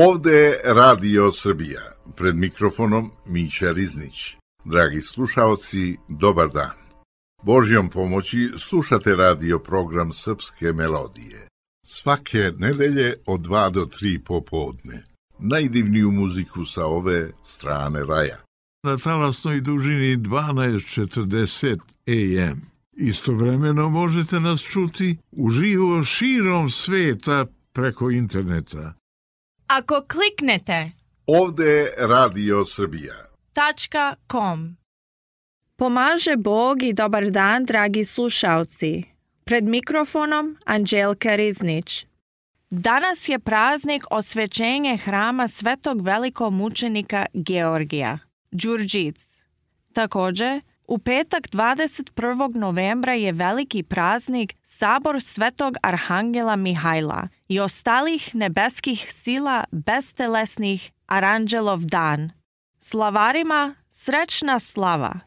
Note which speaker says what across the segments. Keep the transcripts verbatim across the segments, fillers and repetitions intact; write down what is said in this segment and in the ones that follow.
Speaker 1: Ovde je Radio Srbija, pred mikrofonom Mića Riznić. Dragi slušaoci, dobar dan. Božjom pomoći slušate radio program Srpske melodije. Svake nedelje od dva do tri popodne. Najdivniju muziku sa ove strane raja.
Speaker 2: Na talasnoj dužini dvanaest četrdeset A M. Istovremeno možete nas čuti uživo širom sveta preko interneta.
Speaker 3: Ako kliknete
Speaker 1: Ovde je Radio Srbija.
Speaker 3: .com. Pomaže Bog i dobar dan, dragi slušalci. Pred mikrofonom Anđelka Riznić. Danas je praznik osvećenje hrama svetog velikomučenika Georgija, Đurđic. Također, u petak dvadeset prvog novembra je veliki praznik Sabor svetog arhangela Mihajla i ostalih nebeskih sila bestelesnih Aranđelov dan. Slavarima srećna slava!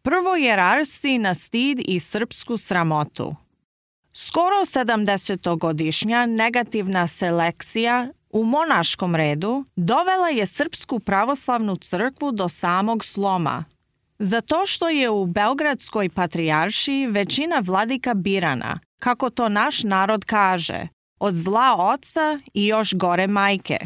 Speaker 3: Prvo jerarsi na stid i srpsku sramotu. Skoro sedamdesetogodišnja negativna selekcija u monaškom redu dovela je Srpsku pravoslavnu crkvu do samog sloma. Zato što je u Beogradskoj patrijaršiji većina vladika birana, kako to naš narod kaže, od zla oca i još gore majke.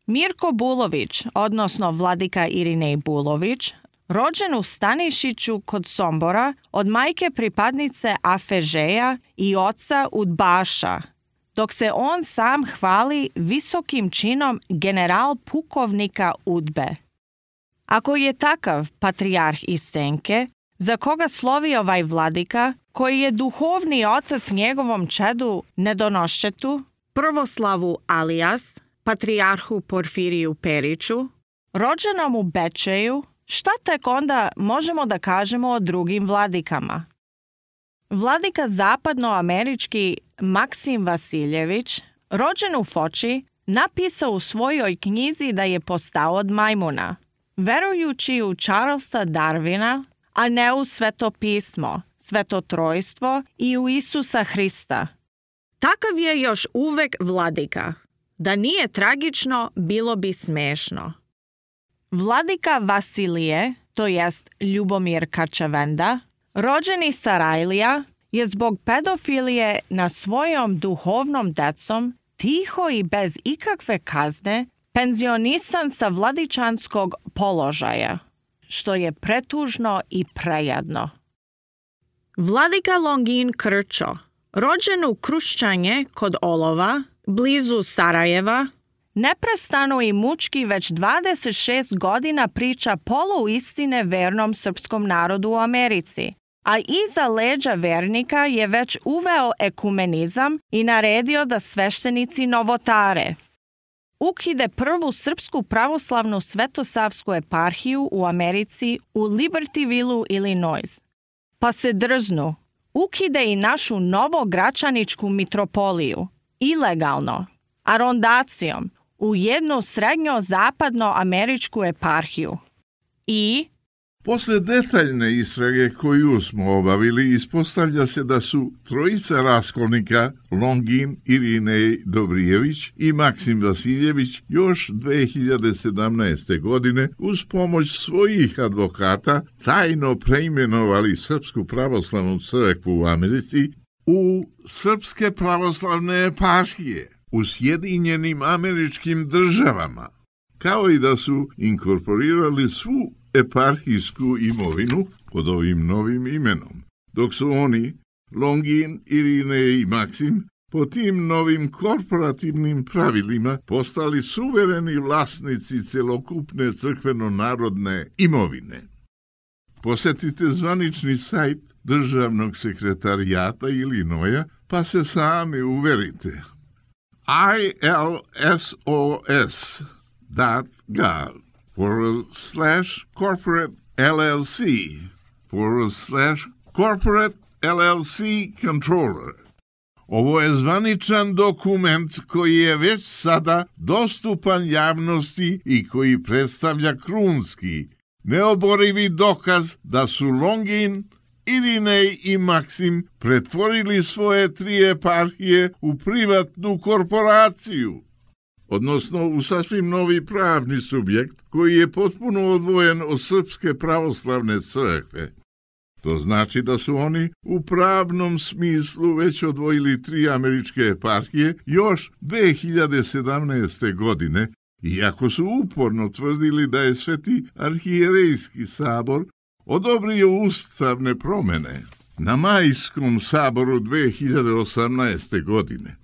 Speaker 3: Mirko Bulović, odnosno vladika Irinej Bulović, rođen u Stanišiću kod Sombora od majke pripadnice Afežeja i oca Udbaša, dok se on sam hvali visokim činom general pukovnika Udbe. Ako je takav patrijarh iz Senke, za koga slovi ovaj vladika, koji je duhovni otac njegovom čedu Nedonoščetu, Prvoslavu Alijas, patrijarhu Porfiriju Periću, rođenom u Bečeju, šta tek onda možemo da kažemo o drugim vladikama? Vladika zapadnoamerički Maksim Vasiljević, rođen u Foči, napisao u svojoj knjizi da je postao od majmuna, verujući u Charlesa Darwina, a ne u Sveto pismo, Svetotrojstvo i u Isusa Hrista. Takav je još uvek vladika. Da nije tragično, bilo bi smešno. Vladika Vasilije, to jest Ljubomir Kačavenda, rođeni Sarajlija, je zbog pedofilije na svojom duhovnom decom tiho i bez ikakve kazne penzionisan sa vladičanskog položaja, što je pretužno i prejadno. Vladika Longin Krčo, rođen u Kruščanje kod Olova, blizu Sarajeva, neprestano i mučki već dvadeset šest godina priča poluistine vernom srpskom narodu u Americi, a iza leđa vernika je već uveo ekumenizam i naredio da sveštenici novotare. Ukide prvu srpsku pravoslavnu svetosavsku eparhiju u Americi u Libertyvillu, Illinois. Pa se drznu, ukide i našu novogračaničku mitropoliju, ilegalno, arondacijom, u jednu srednjo-zapadno-američku eparhiju. I
Speaker 2: posle detaljne istrage koju smo obavili, ispostavlja se da su trojica raskolnika, Longin, Irinej Dobrijević i Maksim Vasiljević, još dve hiljade sedamnaeste. godine uz pomoć svojih advokata tajno preimenovali Srpsku pravoslavnu crkvu u Americi u Srpske pravoslavne eparhije u Sjedinjenim Američkim Državama, kao i da su inkorporirali svu eparhijsku imovinu pod ovim novim imenom, dok su oni, Longin, Irinej i Maksim, po tim novim korporativnim pravilima postali suvereni vlasnici celokupne crkveno-narodne imovine. Posetite zvanični sajt Državnog sekretarijata Ilinoja pa se sami uverite. I L S O S dot gov forward slash corporate L L C forward slash corporate L L C controller. Ovo je zvaničan dokument koji je već sada dostupan javnosti i koji predstavlja krunski, neoborivi dokaz da su Longin, Irinej i Maksim pretvorili svoje tri eparhije u privatnu korporaciju, odnosno u sasvim novi pravni subjekt koji je potpuno odvojen od Srpske pravoslavne crkve. To znači da su oni u pravnom smislu već odvojili tri američke eparhije još dve hiljade sedamnaeste. godine, iako su uporno tvrdili da je Sveti arhijerejski sabor odobrio ustavne promene na Majskom saboru dve hiljade osamnaeste. godine.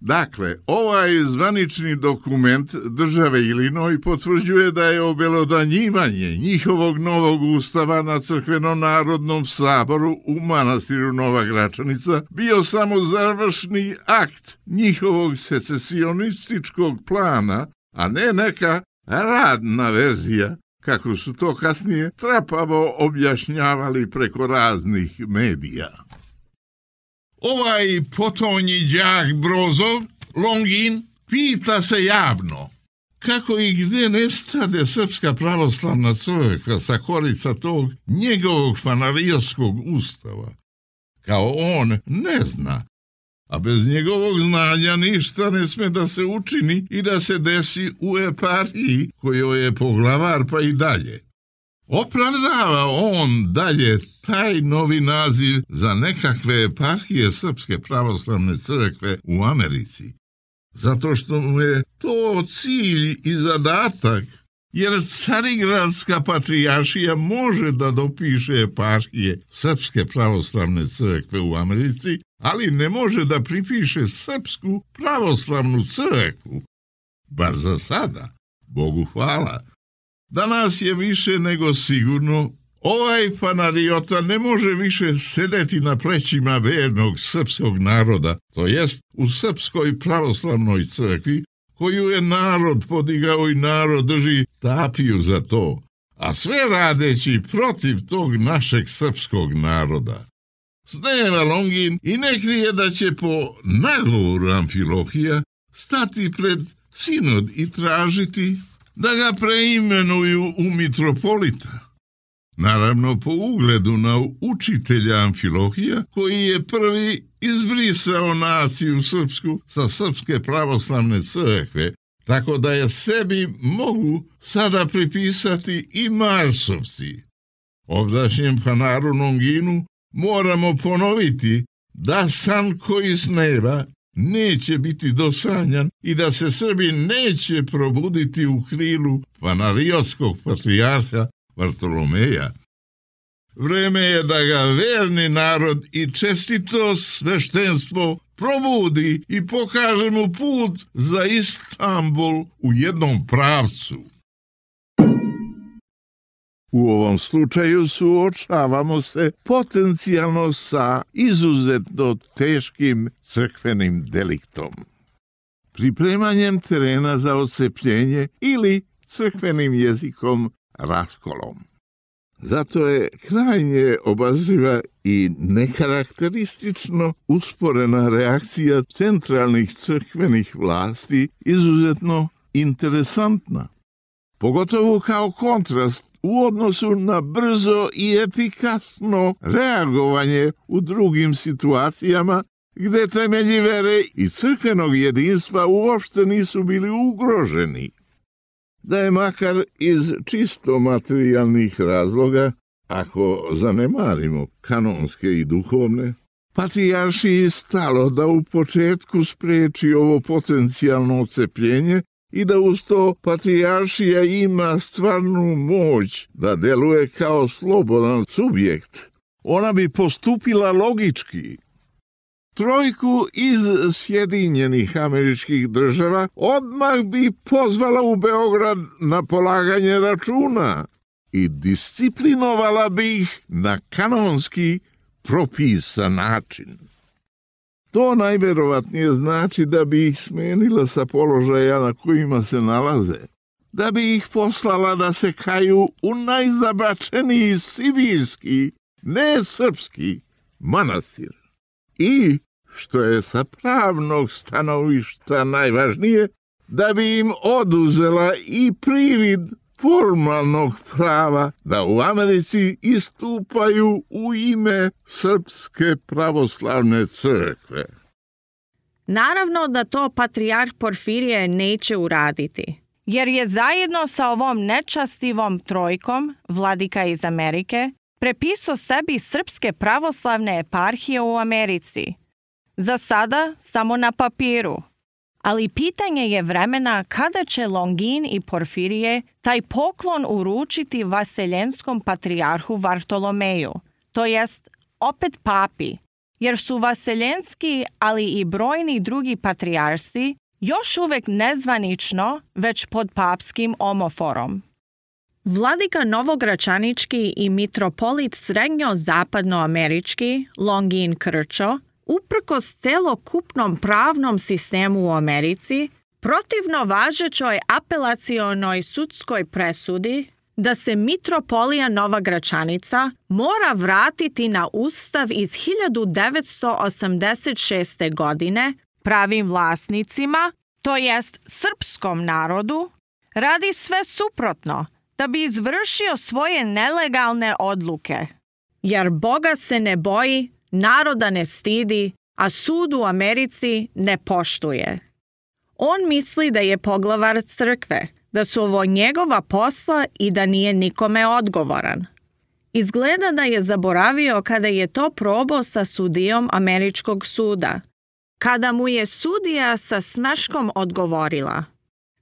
Speaker 2: Dakle, ovaj zvanični dokument države Illinois potvrđuje da je obelodanjivanje njihovog novog ustava na crkveno-narodnom saboru u manastiru Nova Gračanica bio samo završni akt njihovog secesionističkog plana, a ne neka radna verzija, kako su to kasnije trapavo objašnjavali preko raznih medija. Ovaj potonji đak Brozov, Longin, pita se javno kako i gde nestade Srpska pravoslavna crkva sa korica tog njegovog fanarijskog ustava. Kao on ne zna, a bez njegovog znanja ništa ne sme da se učini i da se desi u eparhiji kojoj je poglavar pa i dalje. Opravdava on dalje taj novi naziv za nekakve eparhije Srpske pravoslavne crkve u Americi, zato što mu je to cilj i zadatak, jer Carigradska patrijaršija može da dopiše eparhije Srpske pravoslavne crkve u Americi, ali ne može da pripiše Srpsku pravoslavnu crkvu, bar za sada, Bogu hvala. Danas je više nego sigurno, ovaj fanariota ne može više sedeti na plećima vernog srpskog naroda, to jest u Srpskoj pravoslavnoj crkvi, koju je narod podigao i narod drži tapiju za to, a sve radeći protiv tog našeg srpskog naroda. Snema Longin i ne krije da će po nagovoru Amfilohija stati pred sinod i tražiti da ga preimenuju u mitropolita. Naravno po ugledu na učitelja Amfilohija, koji je prvi izbrisao naciju srpsku sa Srpske pravoslavne crkve, tako da je sebi mogu sada pripisati i Marsovci. Ovdašnjem fanaru Longinu moramo ponoviti da san koji sneva neće biti dosanjan i da se Srbi neće probuditi u krilu fanariotskog patrijarha Vartolomeja. Vreme je da ga verni narod i čestito sveštenstvo probudi i pokaže mu put za Istanbul u jednom pravcu. U ovom slučaju suočavamo se potencijalno sa izuzetno teškim crkvenim deliktom, pripremanjem terena za odcepljenje ili crkvenim jezikom raskolom. Zato je krajnje obazriva i nekarakteristično usporena reakcija centralnih crkvenih vlasti izuzetno interesantna, pogotovo kao kontrast u odnosu na brzo i efikasno reagovanje u drugim situacijama gde temelji vere i crkvenog jedinstva uopšte nisu bili ugroženi. Da je makar iz čisto materijalnih razloga, ako zanemarimo kanonske i duhovne, patrijaršiji stalo da u početku spreči ovo potencijalno odcepljenje i da uz to patrijaršija ima stvarnu moć da deluje kao slobodan subjekt, ona bi postupila logički. Trojku iz Sjedinjenih Američkih Država odmah bi pozvala u Beograd na polaganje računa i disciplinovala bi ih na kanonski propisan način. To najverovatnije znači da bi ih smenila sa položaja na kojima se nalaze, da bi ih poslala da se kaju u najzabačeniji sibirski, ne srpski, manastir. I, što je sa pravnog stanovišta najvažnije, da bi im oduzela i privid formalnog prava da u Americi istupaju u ime Srpske pravoslavne crkve.
Speaker 3: Naravno da to patrijarh Porfirije neće uraditi, jer je zajedno sa ovom nečastivom trojkom, vladika iz Amerike, prepisao sebi Srpske pravoslavne eparhije u Americi. Za sada samo na papiru. Ali pitanje je vremena kada će Longin i Porfirije taj poklon uručiti vaseljenskom patrijarhu Vartolomeju, to jest opet papi, jer su vaseljenski, ali i brojni drugi patrijarsi još uvek nezvanično, već pod papskim omoforom. Vladika Novogračanički i mitropolit srednjo-zapadnoamerički Longin Krčo, uprkos celokupnom pravnom sistemu u Americi, protivno važećoj apelacionoj sudskoj presudi da se mitropolija Nova Gračanica mora vratiti na ustav iz hiljadu devetsto osamdeset šeste. godine pravim vlasnicima, to jest srpskom narodu, radi sve suprotno da bi izvršio svoje nelegalne odluke. Jer Boga se ne boji, naroda ne stidi, a sud u Americi ne poštuje. On misli da je poglavar crkve, da su ovo njegova posla i da nije nikome odgovoran. Izgleda da je zaboravio kada je to probao sa sudijom američkog suda, kada mu je sudija sa smeškom odgovorila: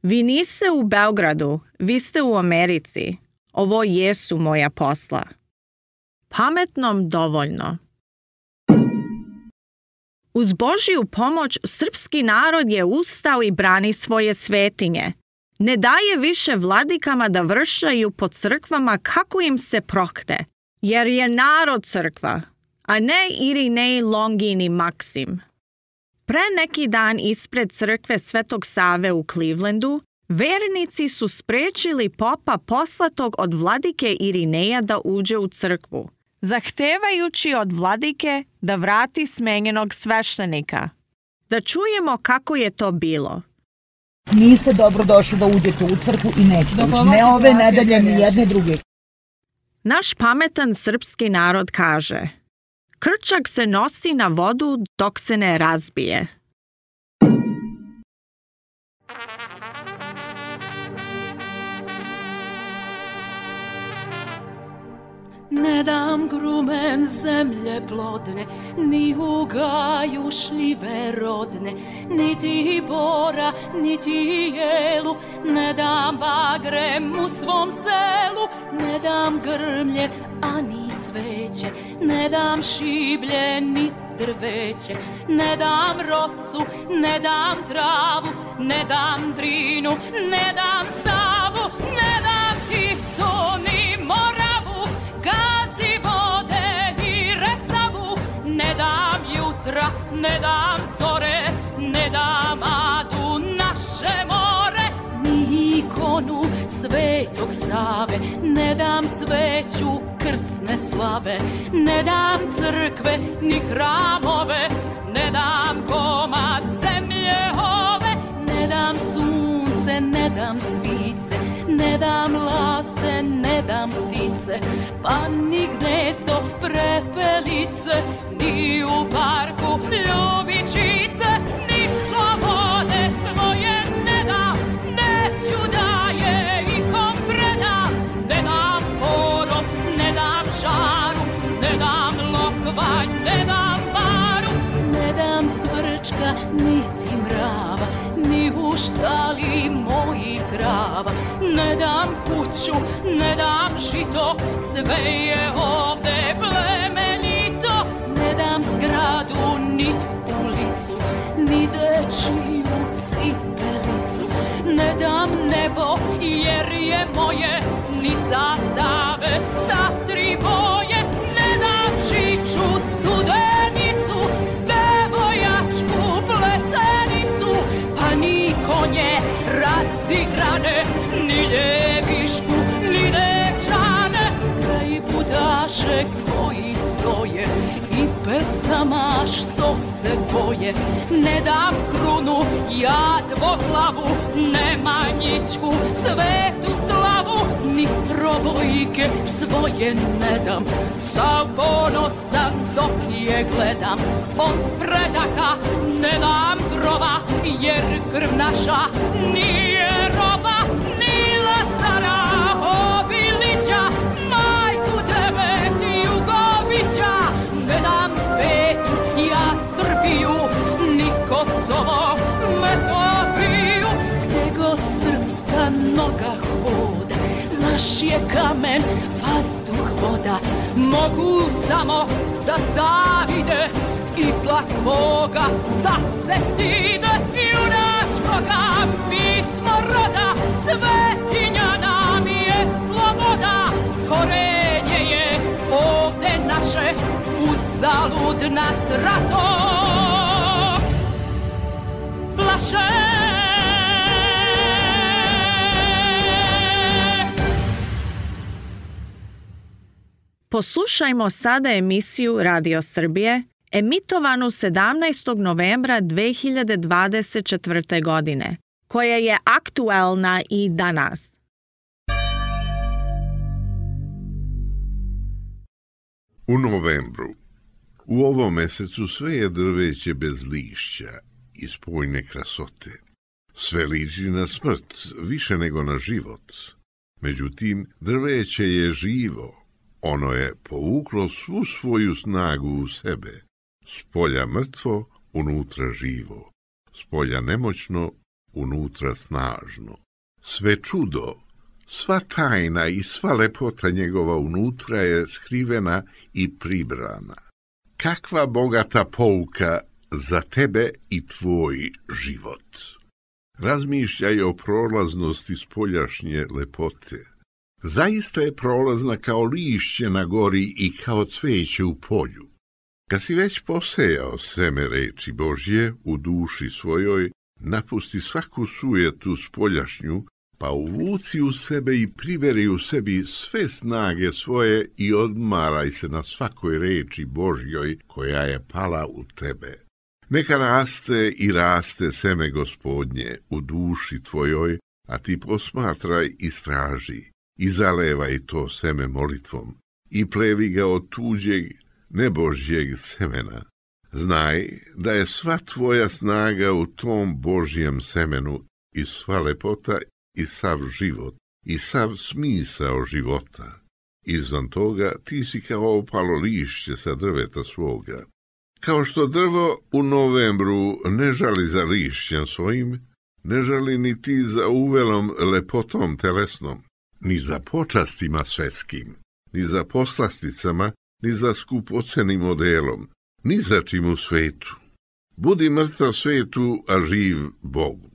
Speaker 3: "Vi niste u Beogradu, vi ste u Americi. Ovo jesu moja posla." Pametnom dovoljno. Uz Božju pomoć srpski narod je ustao i brani svoje svetinje. Ne daje više vladikama da vršaju po crkvama kako im se prohte, jer je narod crkva, a ne Irinej, Longin i Maksim. Pre neki dan ispred crkve Svetog Save u Clevelandu, vernici su sprečili popa poslatog od vladike Irineja da uđe u crkvu, zahtevajući od vladike da vrati smenjenog sveštenika. Da čujemo kako je to bilo.
Speaker 4: Niste dobro došli da uđete u crkvu i nećete ući. Ne ove nedelje, ni jedne druge.
Speaker 3: Naš pametan srpski narod kaže: "Krčak se nosi na vodu dok se ne razbije."
Speaker 5: Ne dam grumen zemlje plodne, ni u gaju šljive rodne, niti bora, niti jelu, ne dam bagrem u svom selu, ne dam grmlje, a ni cveće, ne dam šiblje, ni drveće, ne dam rosu, ne dam travu, ne dam drinu, ne dam Savu, ne dam Tisu, ni Moravu, gazi vode i Resavu, ne dam jutra, ne dam zore, ne dam Adu, naše more, ni ikonu Svetog Save, ne dam sveću krsne slave, ne dam crkve ni hramove, ne dam komad zemlje ove, ne dam sunce, ne dam svice, ne dam laste, ne dam ptice, pa ni gnezdo prepelice, ni u parku ljubičice, ni slobode svoje ne dam, neću da je ikom predam, ne dam korom, ne dam žaru, ne dam lokvanj, ne dam baru, ne dam cvrčka, niti mrava, ni u štali mojih krava, ne dam kuću, ne dam žito, sve je ovde plemenito, ne dam zgradu, nit ulicu, ni dečiju cipelicu, ne dam nebo, jer je moje, ni zastave sa tri boje, ne dam žiču studenicu, bevojačku pletenicu, pa ni konje razigrane, ni ljevišku, ni devčane, kraj budaše koji stoje i pesama što se boje, ne dam krunu, ja dvoglavu, Nemanjićku, svetu slavu, slike svoje ne dam, sav ponosan dok je gledam. Od predaka ne dam grova, jer krv naša nije roba. Ni Lazara Obilića, majku devet Jugovića, ne dam svetu ja Srbiju, ni Kosovo, Metohiju. Gde god srpska noga hoda, naš je kamen, vazduh, voda. Mogu samo da zavide i zla svoga, da se stide junačkoga. Mi smo roda, svetinja nam je sloboda. Korenje je ovde naše, uzalud nas rato plaše.
Speaker 3: Poslušajmo sada emisiju Radio Srbije, emitovanu sedamnaestog novembra dve hiljade dvadeset četvrte. godine, koja je aktuelna i danas.
Speaker 2: U novembru. U ovom mesecu sve je drveće bez lišća i spojne krasote. Sve liči na smrt, više nego na život. Međutim, drveće je živo. Ono je povuklo svu svoju snagu u sebe. Spolja mrtvo, unutra živo. Spolja nemoćno, unutra snažno. Sve čudo, sva tajna i sva lepota njegova unutra je skrivena i pribrana. Kakva bogata pouka za tebe i tvoj život. Razmišljaj o prolaznosti spoljašnje lepote. Zaista je prolazna kao lišće na gori i kao cveće u polju. Kad si već posejao seme reči Božje u duši svojoj, napusti svaku sujetu spoljašnju, pa uvuci u sebe i priberi u sebi sve snage svoje i odmaraj se na svakoj reči Božjoj koja je pala u tebe. Neka raste i raste seme Gospodnje u duši tvojoj, a ti posmatraj i straži. I zalevaj to seme molitvom i plevi ga od tuđeg nebožjeg semena. Znaj da je sva tvoja snaga u tom Božjem semenu i sva lepota i sav život i sav smisao života. Izvan toga ti si kao opalo lišće sa drveta svoga. Kao što drvo u novembru ne žali za lišćem svojim, ne žali ni ti za uvelom lepotom telesnom, ni za počastima svetskim, ni za poslasticama, ni za skupocenim modelom, ni za čim u svetu. Budi mrtav svetu, a živ Bogu.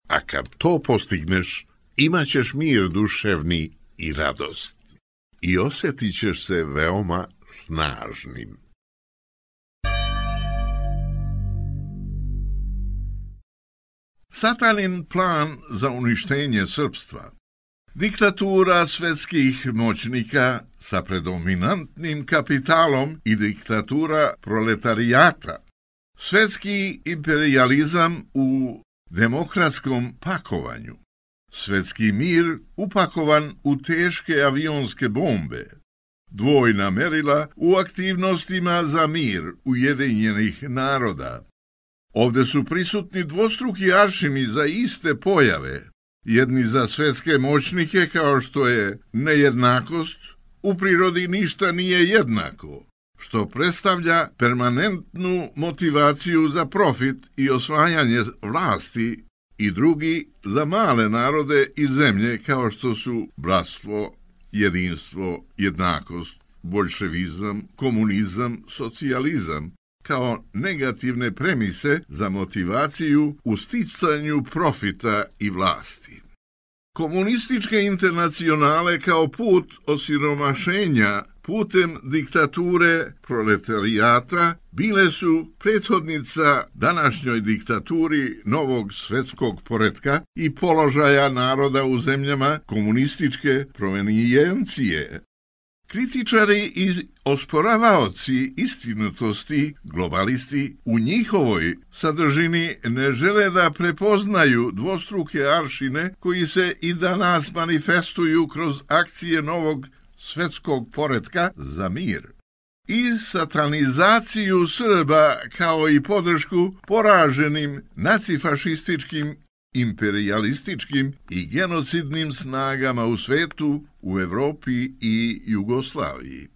Speaker 2: A kad to postigneš, imat ćeš mir duševni i radost. I osjetit ćeš se veoma snažnim. Satanin plan za uništenje srpstva. Diktatura svetskih moćnika sa predominantnim kapitalom i diktatura proletarijata. Svetski imperijalizam u demokratskom pakovanju. Svetski mir upakovan u teške avionske bombe. Dvojna merila u aktivnostima za mir Ujedinjenih naroda. Ovde su prisutni dvostruki aršini za iste pojave. Jedni za svetske moćnike kao što je nejednakost, u prirodi ništa nije jednako, što predstavlja permanentnu motivaciju za profit i osvajanje vlasti, i drugi za male narode i zemlje kao što su bratstvo, jedinstvo, jednakost, boljševizam, komunizam, socijalizam, kao negativne premise za motivaciju u sticanju profita i vlasti. Komunističke internacionale kao put osiromašenja putem diktature proletarijata bile su prethodnica današnjoj diktaturi novog svetskog poretka i položaja naroda u zemljama komunističke provenijencije. Kritičari i osporavaoci istinitosti, globalisti, u njihovoj sadržini ne žele da prepoznaju dvostruke aršine koji se i danas manifestuju kroz akcije novog svetskog poretka za mir i satanizaciju Srba kao i podršku poraženim nacifašističkim, imperijalističkim i genocidnim snagama u svetu, u Evropi i Jugoslaviji.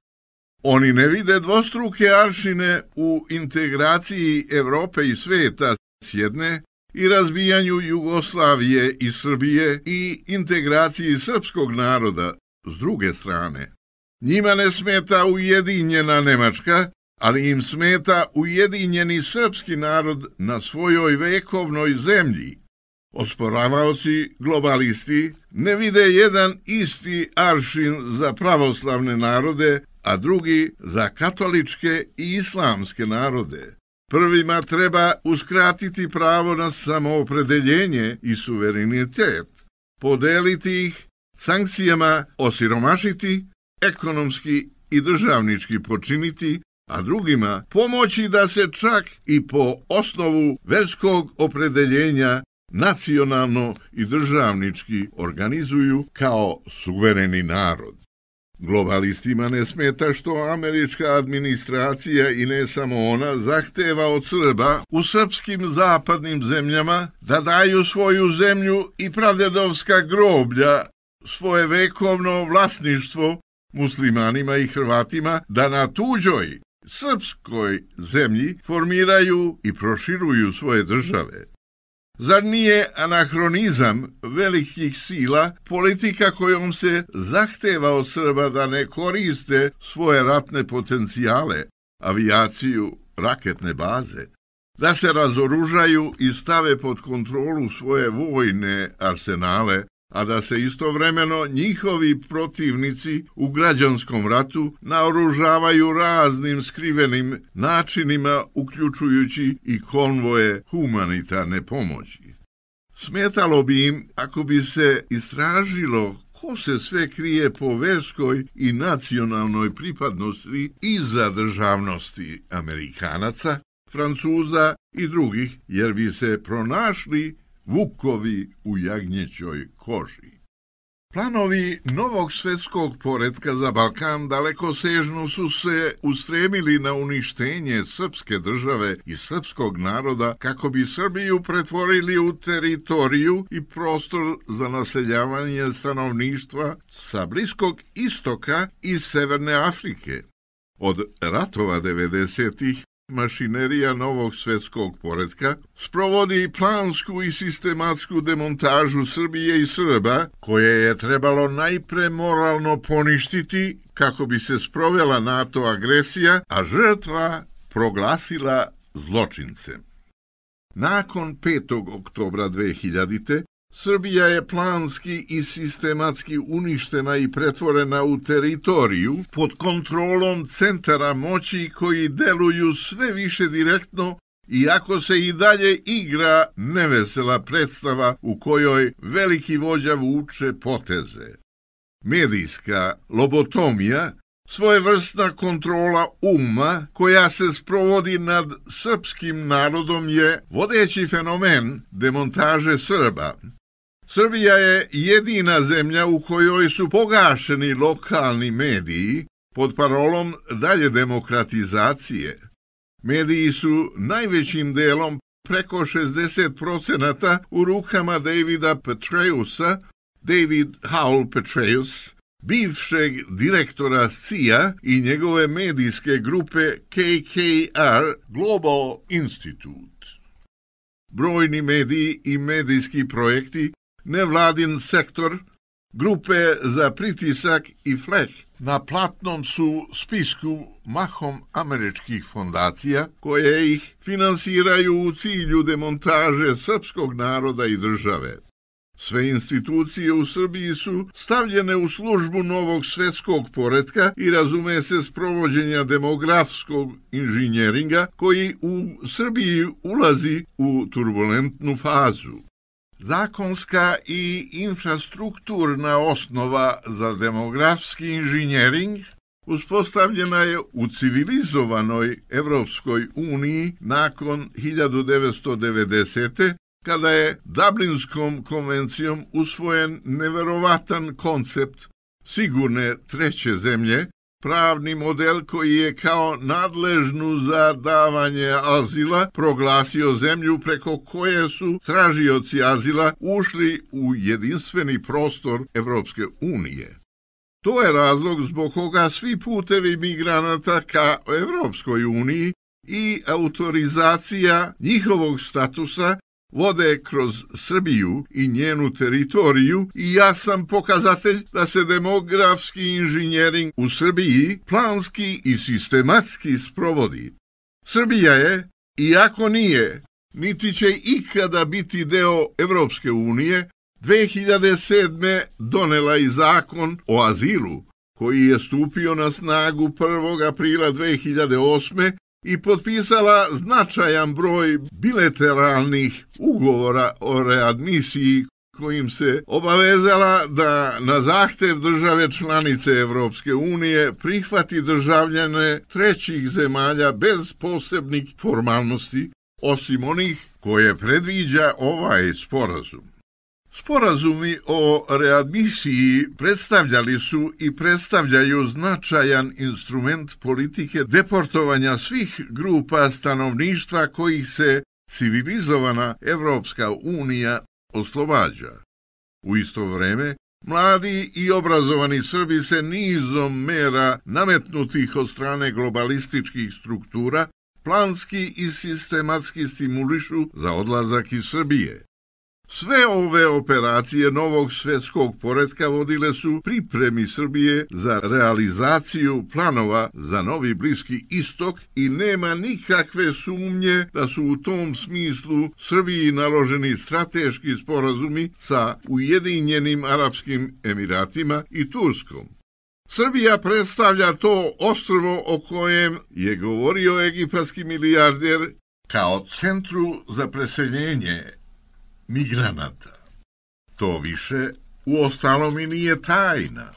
Speaker 2: Oni ne vide dvostruke aršine u integraciji Evrope i sveta s jedne i razbijanju Jugoslavije i Srbije i integraciji srpskog naroda s druge strane. Njima ne smeta ujedinjena Nemačka, ali im smeta ujedinjeni srpski narod na svojoj vekovnoj zemlji. Osporavaoci, globalisti, ne vide jedan isti aršin za pravoslavne narode, a drugi za katoličke i islamske narode. Prvima treba uskratiti pravo na samoopredeljenje i suverenitet, podeliti ih, sankcijama osiromašiti, ekonomski i državnički počiniti, a drugima pomoći da se čak i po osnovu verskog opredeljenja nacionalno i državnički organizuju kao suvereni narod. Globalistima ne smeta što američka administracija i ne samo ona zahteva od Srba u srpskim zapadnim zemljama da daju svoju zemlju i pradedovska groblja, svoje vekovno vlasništvo muslimanima i Hrvatima da na tuđoj srpskoj zemlji formiraju i proširuju svoje države. Zar nije anahronizam velikih sila politika kojom se zahteva od Srba da ne koriste svoje ratne potencijale, avijaciju, raketne baze, da se razoružaju i stave pod kontrolu svoje vojne arsenale, a da se istovremeno njihovi protivnici u građanskom ratu naoružavaju raznim skrivenim načinima, uključujući i konvoje humanitarne pomoći. Smetalo bi im ako bi se istražilo ko se sve krije po verskoj i nacionalnoj pripadnosti iza državnosti Amerikanaca, Francuza i drugih, jer bi se pronašli vukovi u jagnjećoj koži. Planovi novog svetskog poretka za Balkan dalekosežno su se ustremili na uništenje srpske države i srpskog naroda kako bi Srbiju pretvorili u teritoriju i prostor za naseljavanje stanovništva sa Bliskog istoka i Severne Afrike. Od ratova devedesetih mašinerija novog svetskog poretka sprovodi plansku i sistematsku demontažu Srbije i Srba, koje je trebalo najpre moralno poništiti kako bi se sprovela NATO agresija, a žrtva proglasila zločincem. Nakon petog oktobra dvehiljadite. Srbija je planski i sistematski uništena i pretvorena u teritoriju pod kontrolom centara moći koji deluju sve više direktno, iako se i dalje igra nevesela predstava u kojoj veliki vođa vuče poteze. Medijska lobotomija, svojevrsna kontrola uma koja se sprovodi nad srpskim narodom, je vodeći fenomen demontaže Srba. Srbija je jedina zemlja u kojoj su pogašeni lokalni mediji pod parolom dalje demokratizacije. Mediji su najvećim delom, preko šezdeset procenata, u rukama Davida Petreusa, David Howell Petraeus, bivšeg direktora C I A i njegove medijske grupe K K R Global Institute. Brojni mediji i medijski projekti, nevladin sektor, grupe za pritisak i flek na platnom su spisku mahom američkih fondacija koje ih finansiraju u cilju demontaže srpskog naroda i države. Sve institucije u Srbiji su stavljene u službu novog svetskog poretka i razume se sprovođenja demografskog inženjeringa koji u Srbiji ulazi u turbulentnu fazu. Zakonska i infrastrukturna osnova za demografski inženjering uspostavljena je u civilizovanoj Evropskoj uniji nakon hiljadu devetsto devedesete. kada je Dublinskom konvencijom usvojen neverovatan koncept sigurne treće zemlje, pravni model koji je kao nadležnu za davanje azila proglasio zemlju preko koje su tražioci azila ušli u jedinstveni prostor Evropske unije. To je razlog zbog koga svi putevi migranata ka Evropskoj uniji i autorizacija njihovog statusa vode kroz Srbiju i njenu teritoriju i jasan pokazatelj da se demografski inženjering u Srbiji planski i sistematski sprovodi. Srbija je, iako nije, niti će ikada biti deo Evropske unije, dve hiljade sedme. donela i zakon o azilu, koji je stupio na snagu prvog aprila dve hiljade osme. i potpisala značajan broj bilateralnih ugovora o readmisiji kojim se obavezala da na zahtev države članice Evropske unije prihvati državljane trećih zemalja bez posebnih formalnosti, osim onih koje predviđa ovaj sporazum. Sporazumi o readmisiji predstavljali su i predstavljaju značajan instrument politike deportovanja svih grupa stanovništva kojih se civilizovana Evropska unija oslobađa. U isto vreme, mladi i obrazovani Srbi se nizom mera nametnutih od strane globalističkih struktura planski i sistematski stimulišu za odlazak iz Srbije. Sve ove operacije novog svetskog poretka vodile su pripremi Srbije za realizaciju planova za novi Bliski istok i nema nikakve sumnje da su u tom smislu Srbiji naloženi strateški sporazumi sa Ujedinjenim Arapskim Emiratima i Turskom. Srbija predstavlja to ostrvo o kojem je govorio egipatski milijarder kao centru za preseljenje migranata. To više u ostalom i nije tajna.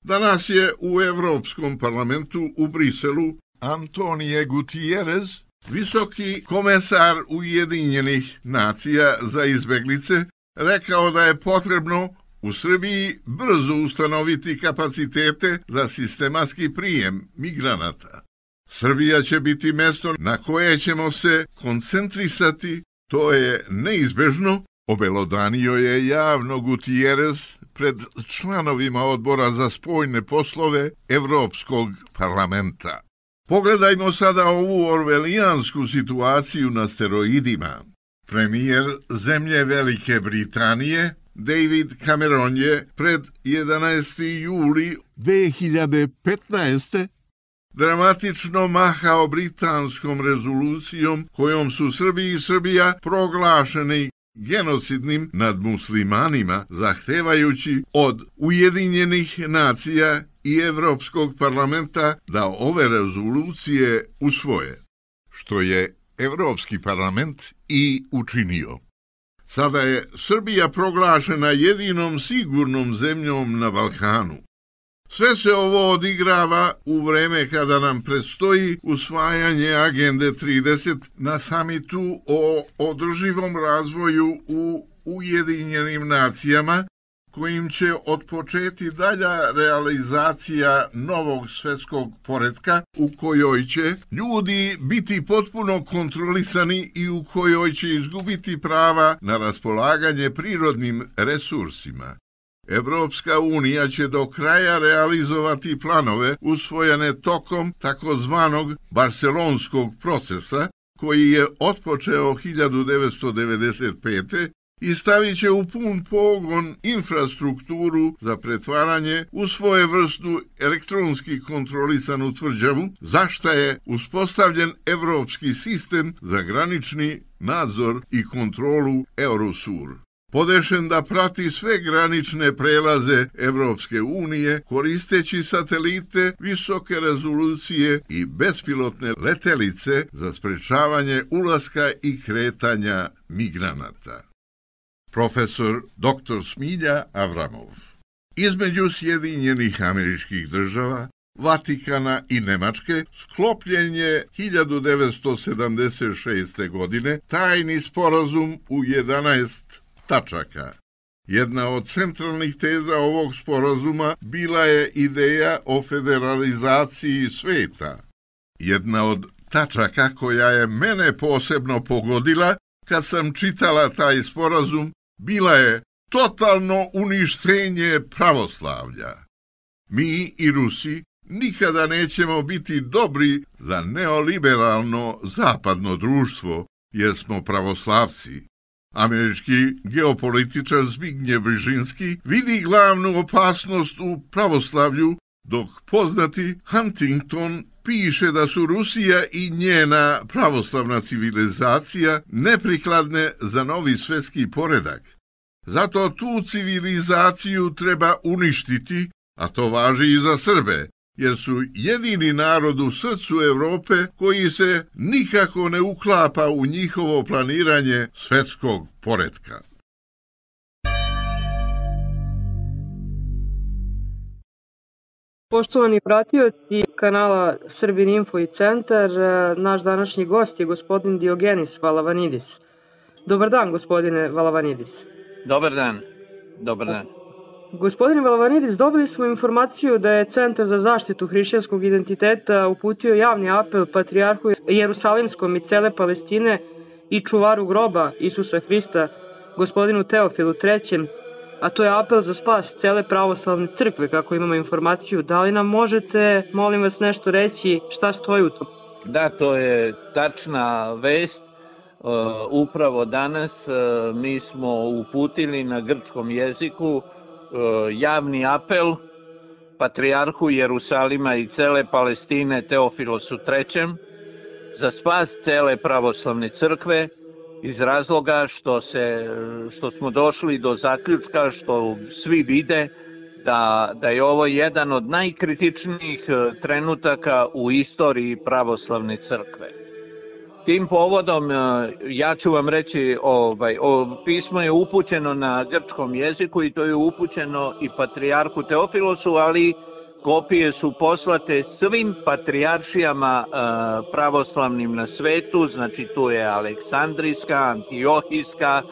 Speaker 2: Danas je u Evropskom parlamentu u Briselu Antonio Gutierrez, visoki komesar Ujedinjenih nacija za izbeglice, rekao da je potrebno u Srbiji brzo ustanoviti kapacitete za sistematski prijem migranata. Srbija će biti mesto na koje ćemo se koncentrisati. To je neizbežno, obelodanio je javno Gutierrez pred članovima odbora za spoljne poslove Evropskog parlamenta. Pogledajmo sada ovu orvelijansku situaciju na steroidima. Premijer zemlje Velike Britanije, David Cameron, je pred jedanaesti juli dve hiljade petnaeste. dramatično mahao britanskom rezolucijom kojom su Srbi i Srbija proglašeni genocidnim nad muslimanima, zahtevajući od Ujedinjenih nacija i Evropskog parlamenta da ove rezolucije usvoje, što je Evropski parlament i učinio. Sada je Srbija proglašena jedinom sigurnom zemljom na Balkanu. Sve se ovo odigrava u vreme kada nam predstoji usvajanje Agende trideset na samitu o održivom razvoju u Ujedinjenim nacijama, kojim će otpočeti dalja realizacija novog svetskog poretka u kojoj će ljudi biti potpuno kontrolisani i u kojoj će izgubiti prava na raspolaganje prirodnim resursima. Evropska unija će do kraja realizovati planove usvojene tokom takozvanog barcelonskog procesa, koji je otpočeo hiljadu devetsto devedeset pete. i stavit će u pun pogon infrastrukturu za pretvaranje u svojevrsnu elektronski kontrolisanu tvrđavu, za šta je uspostavljen evropski sistem za granični nadzor i kontrolu Eurosur, podešen da prati sve granične prelaze Evropske unije koristeći satelite visoke rezolucije i bespilotne letelice za sprečavanje ulaska i kretanja migranata. Profesor doktor Smilja Avramov. Između Sjedinjenih Američkih Država, Vatikana i Nemačke sklopljen je hiljadu devetsto sedamdeset šeste. godine tajni sporazum u jedanaest tačaka. Jedna od centralnih teza ovog sporazuma bila je ideja o federalizaciji sveta. Jedna od tačaka koja je mene posebno pogodila kad sam čitala taj sporazum bila je totalno uništenje pravoslavlja. Mi i Rusi nikada nećemo biti dobri za neoliberalno zapadno društvo, jer smo pravoslavci. Američki geopolitičar Zbigniew Brzezinski vidi glavnu opasnost u pravoslavlju, dok poznati Huntington piše da su Rusija i njena pravoslavna civilizacija neprikladne za novi svjetski poredak. Zato tu civilizaciju treba uništiti, a to važi i za Srbe, jer su jedini narod u srcu Europe koji se nikako ne uklapa u njihovo planiranje svjetskog poretka.
Speaker 6: Poštovani pratioci kanala Srbin Info i Centar, naš današnji gost je gospodin Diogenis Valavanidis. Dobar dan, gospodine Valavanidis.
Speaker 7: Dobar dan. Dobar dan.
Speaker 6: Gospodine Valavanidis, dobili smo informaciju da je Centar za zaštitu hrišćanskog identiteta uputio javni apel patrijarhu Jerusalimskom i cele Palestine i čuvaru groba Isusa Hrista, gospodinu Teofilu trećem, a to je apel za spas cele pravoslavne crkve, kako imamo informaciju. Da li nam možete, molim vas, nešto reći šta stoji u tom?
Speaker 7: Da, to je tačna vest. Uh, upravo danas uh, mi smo uputili na grčkom jeziku uh, javni apel patrijarhu Jerusalima i cele Palestine Teofilosu trećem za spas cele pravoslavne crkve, iz razloga što se što smo došli do zaključka, što svi vide da, da je ovo jedan od najkritičnijih trenutaka u istoriji pravoslavne crkve. Tim povodom ja ću vam reći, ovaj, o, pismo je upućeno na grčkom jeziku i to je upućeno i patrijarhu Teofilosu, ali kopije su poslate svim patrijaršijama e, pravoslavnim na svetu, znači tu je Aleksandrijska, Antiohijska, e,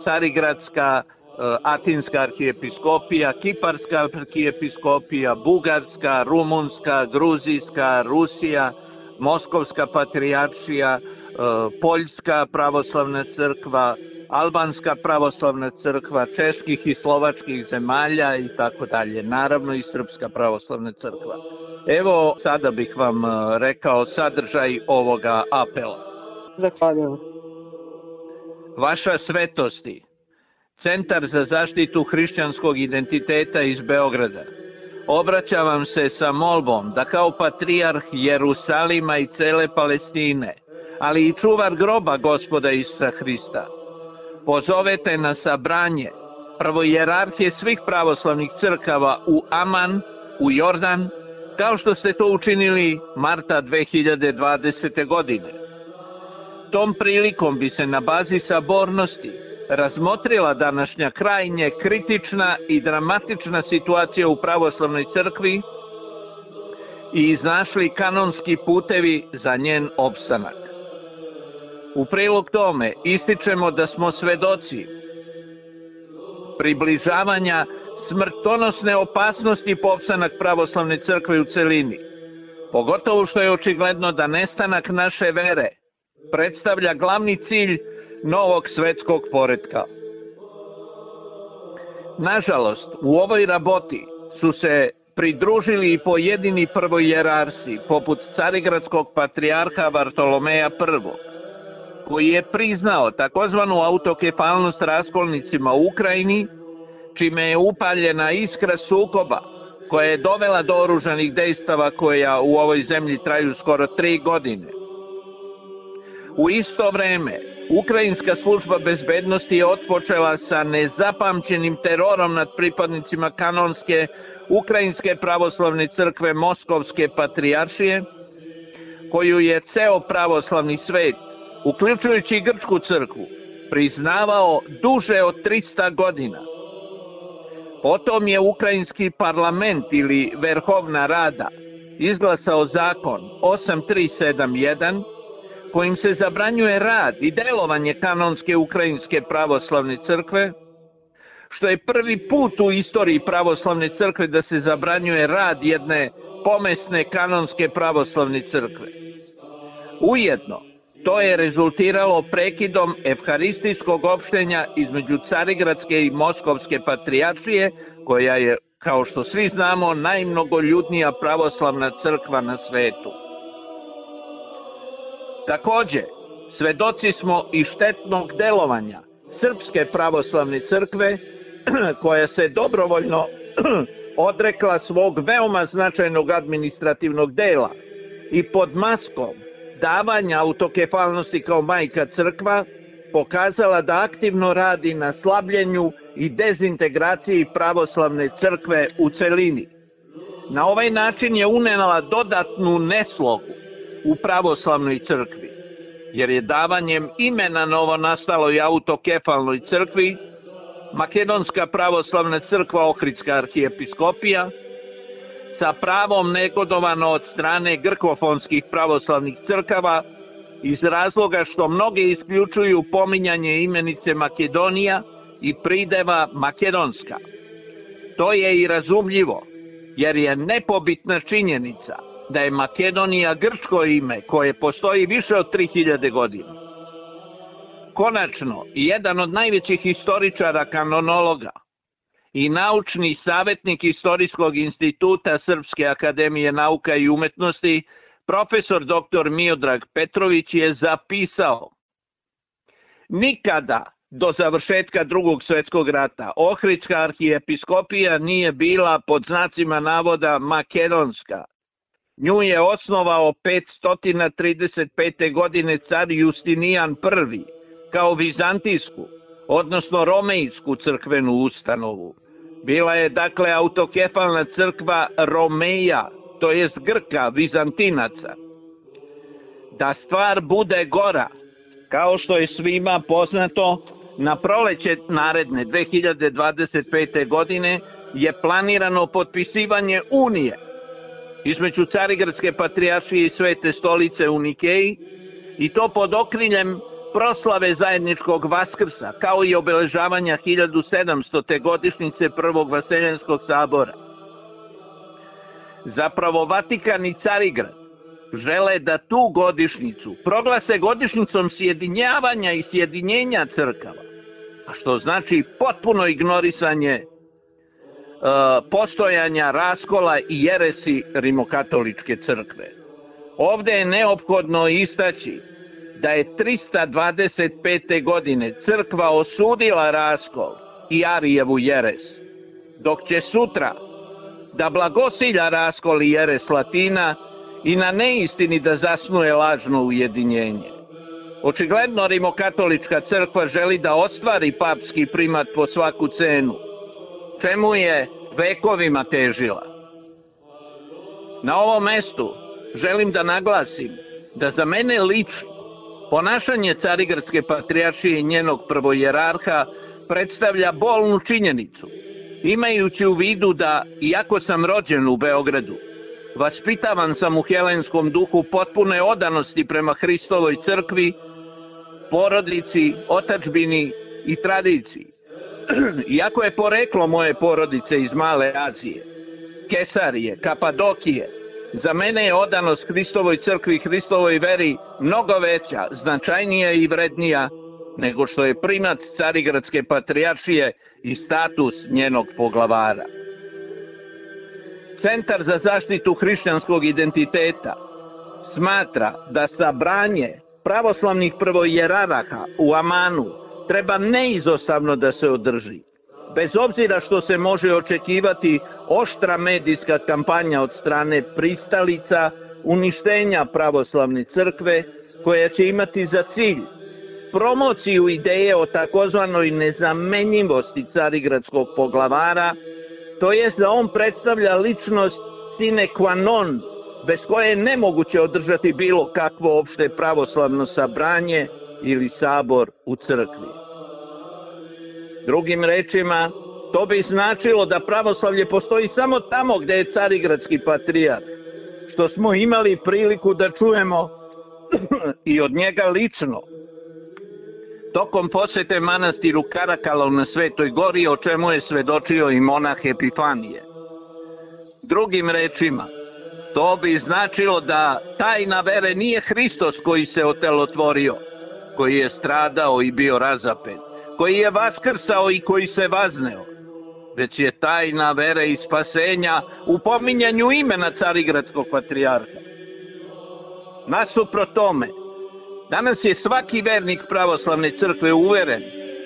Speaker 7: Carigradska, e, Atinska arhijepiskopija, Kiparska arhijepiskopija, Bugarska, Rumunska, Gruzijska, Rusija, Moskovska patrijaršija, e, Poljska pravoslavna crkva, Albanska pravoslavna crkva, čeških i slovačkih zemalja i tako dalje. Naravno i Srpska pravoslavna crkva. Evo, sada bih vam rekao sadržaj ovoga apela.
Speaker 6: Zahvaljujem.
Speaker 7: Vaša svetosti, Centar za zaštitu hrišćanskog identiteta iz Beograda, obraća vam se sa molbom da kao patrijarh Jerusalima i cele Palestine, ali i čuvar groba Gospoda Isusa Hrista, pozovete na sabranje prvojerarhije svih pravoslavnih crkava u Aman, u Jordan, kao što ste to učinili marta dve hiljade dvadesete. godine. Tom prilikom bi se na bazi sabornosti razmotrila današnja krajnje kritična i dramatična situacija u pravoslavnoj crkvi i iznašli kanonski putevi za njen opstanak. U prilog tome ističemo da smo svedoci približavanja smrtonosne opasnosti po opstanak pravoslavne crkve u celini, pogotovo što je očigledno da nestanak naše vere predstavlja glavni cilj novog svetskog poretka. Nažalost, u ovoj raboti su se pridružili i pojedini prvojerarsi, poput carigradskog patrijarha Vartolomeja prvog, koji je priznao takozvanu autokefalnost raskolnicima u Ukrajini, čime je upaljena iskra sukoba koja je dovela do oružanih dejstava koja u ovoj zemlji traju skoro tri godine. U isto vreme, Ukrajinska služba bezbednosti je otpočela sa nezapamćenim terorom nad pripadnicima kanonske Ukrajinske pravoslavne crkve Moskovske patrijaršije, koju je ceo pravoslavni svet, uključujući i grčku crkvu, priznavao duže od trista godina. Potom je ukrajinski parlament ili Verhovna Rada izglasao zakon osam tri sedam jedan kojim se zabranjuje rad i delovanje kanonske ukrajinske pravoslavne crkve, što je prvi put u istoriji pravoslavne crkve da se zabranjuje rad jedne pomesne kanonske pravoslavne crkve. Ujedno, to je rezultiralo prekidom evharistijskog opštenja između Carigradske i Moskovske patrijaršije, koja je, kao što svi znamo, najmnogoljudnija pravoslavna crkva na svetu. Takođe, svedoci smo i štetnog delovanja Srpske pravoslavne crkve, koja se dobrovoljno odrekla svog veoma značajnog administrativnog dela i pod maskom davanja autokefalnosti kao majka crkva pokazala da aktivno radi na slabljenju i dezintegraciji pravoslavne crkve u celini. Na ovaj način je unela dodatnu neslogu u pravoslavnoj crkvi, jer je davanjem imena novonastaloj autokefalnoj crkvi Makedonska pravoslavna crkva Ohridska arhijepiskopija sa pravom negodovano od strane grkofonskih pravoslavnih crkava iz razloga što mnoge isključuju pominjanje imenice Makedonija i prideva Makedonska. To je i razumljivo, jer je nepobitna činjenica da je Makedonija grčko ime koje postoji više od tri hiljade godina. Konačno, jedan od najvećih historičara kanonologa i naučni savjetnik Istorijskog instituta Srpske akademije nauka i umetnosti, profesor doktor Miodrag Petrović je zapisao: nikada do završetka Drugog svjetskog rata Ohridska arhijepiskopija nije bila pod znacima navoda makedonska. Nju je osnovao petsto trideset pete. godine car Justinijan prvi kao vizantijsku, odnosno romejsku crkvenu ustanovu. Bila je dakle autokefalna crkva Romeja, to jest Grka, Vizantinaca. Da stvar bude gora, kao što je svima poznato, na proleće naredne dve hiljade dvadeset pete. godine je planirano potpisivanje unije između Carigradske patrijaršije i Svete stolice u Nikeji, i to pod okriljem proslave zajedničkog Vaskrsa, kao i obeležavanja hiljadu sedamstote. godišnjice Prvog Vaseljenskog sabora. Zapravo, Vatikan i Carigrad žele da tu godišnjicu proglase godišnjicom sjedinjavanja i sjedinjenja crkava, a što znači potpuno ignorisanje e, postojanja raskola i jeresi rimokatoličke crkve. Ovde je neophodno istaći da je trista dvadeset pete. godine crkva osudila raskol i Arijevu jeres, dok će sutra da blagosilja raskol i jeres Latina i na neistini da zasnuje lažno ujedinjenje. Očigledno rimokatolička crkva želi da ostvari papski primat po svaku cenu, čemu je vekovima težila. Na ovom mestu želim da naglasim da za mene lično ponašanje Carigradske patrijaršije i njenog prvojerarha predstavlja bolnu činjenicu, imajući u vidu da, iako sam rođen u Beogradu, vaspitavan sam u helenskom duhu potpune odanosti prema Hristovoj crkvi, porodici, otadžbini i tradiciji. Iako je poreklo moje porodice iz Male Azije, Kesarije, Kapadokije, za mene je odanost Hristovoj crkvi i Hristovoj veri mnogo veća, značajnija i vrednija nego što je primat Carigradske patrijaršije i status njenog poglavara. Centar za zaštitu hrišćanskog identiteta smatra da sabranje pravoslavnih prvojerarha u Amanu treba neizostavno da se održi, bez obzira što se može očekivati oštra medijska kampanja od strane pristalica uništenja pravoslavne crkve, koja će imati za cilj promociju ideje o takozvanoj nezamenjivosti carigradskog poglavara, to jest da on predstavlja ličnost sine qua non, bez koje je nemoguće održati bilo kakvo opšte pravoslavno sabranje ili sabor u crkvi. Drugim rečima, To bi značilo da pravoslavlje postoji samo tamo gde je carigradski patrijarh, što smo imali priliku da čujemo i od njega lično tokom posete manastiru Karakalov na Svetoj gori, o čemu je svedočio i monah Epifanije. Drugim rečima, to bi značilo da tajna vere nije Hristos koji se otelotvorio, koji je stradao i bio razapet, koji je vaskrsao i koji se vazneo, već je tajna vere i spasenja u pominjanju imena carigradskog patrijarha. Nasuprot tome, danas je svaki vernik pravoslavne crkve uveren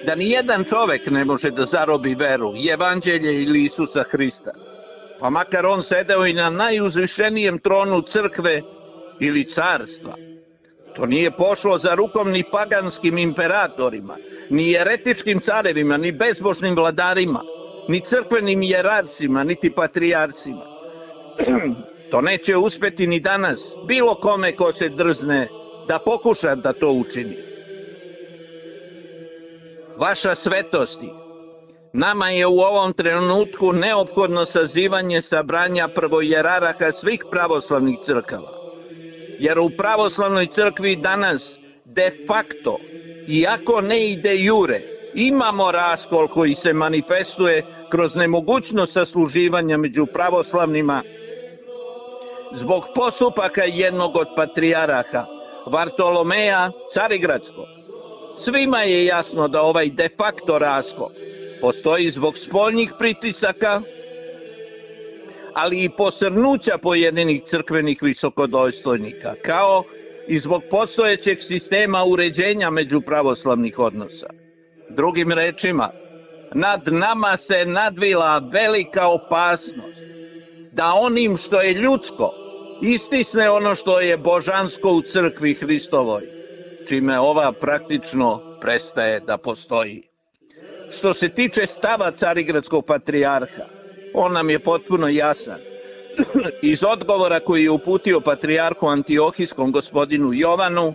Speaker 7: da nijedan čovek ne može da zarobi veru, evanđelje ili Isusa Hrista, pa makar on sedeo i na najuzvišenijem tronu crkve ili carstva. To nije pošlo za rukom ni paganskim imperatorima, ni jeretičkim carevima, ni bezbožnim vladarima, ni crkvenim jerarcima, niti patrijarcima. To neće uspeti ni danas bilo kome ko se drzne da pokuša da to učini. Vaša svetosti, nama je u ovom trenutku neophodno sazivanje sabranja prvojeraraha svih pravoslavnih crkava, jer u pravoslavnoj crkvi danas de facto, iako ne i de jure, imamo raskol koji se manifestuje kroz nemogućnost sasluživanja među pravoslavnima zbog postupaka jednog od patrijaraha, Vartolomeja Carigradskog. Svima je jasno da ovaj de facto raskol postoji zbog spoljnih pritisaka, ali i posrnuća pojedinih crkvenih visokodostojnika, kao i zbog postojećeg sistema uređenja među pravoslavnih odnosa. Drugim rečima, nad nama se nadvila velika opasnost da onim što je ljudsko istisne ono što je božansko u crkvi Hristovoj, čime ova praktično prestaje da postoji. Što se tiče stava carigradskog patrijarha, on nam je potpuno jasan. Iz odgovora koji je uputio patrijarhu Antiohijskom gospodinu Jovanu,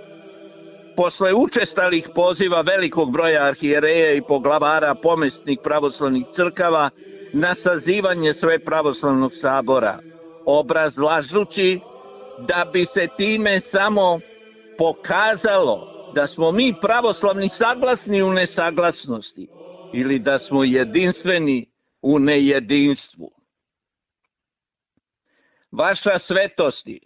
Speaker 7: posle učestalih poziva velikog broja arhijereja i poglavara pomestnih pravoslavnih crkava na sazivanje sve pravoslavnog sabora, obrazlažući da bi se time samo pokazalo da smo mi pravoslavni saglasni u nesaglasnosti ili da smo jedinstveni u nejedinstvu. Vaša svetosti,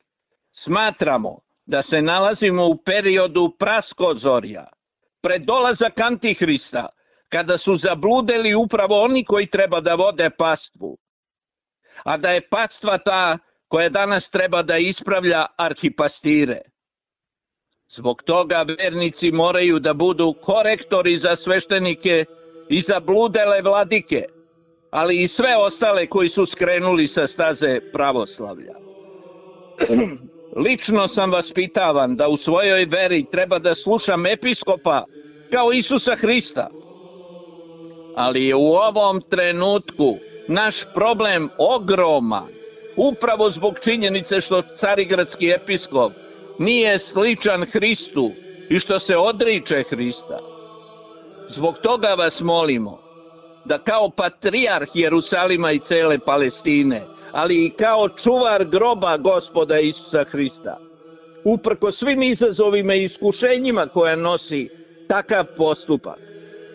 Speaker 7: smatramo da se nalazimo u periodu praskozorja, pred dolazak Antihrista, kada su zabludeli upravo oni koji treba da vode pastvu, a da je pastva ta koja danas treba da ispravlja arhipastire. Zbog toga vernici moraju da budu korektori za sveštenike i za bludele vladike, ali i sve ostale koji su skrenuli sa staze pravoslavlja. Lično sam vaspitavan da u svojoj veri treba da slušam episkopa kao Isusa Hrista, ali je u ovom trenutku naš problem ogroman, upravo zbog činjenice što carigradski episkop nije sličan Hristu i što se odriče Hrista. Zbog toga vas molimo da kao patrijarh Jerusalima i cele Palestine, ali i kao čuvar groba Gospoda Isusa Hrista, uprko svim izazovima i iskušenjima koje nosi takav postupak,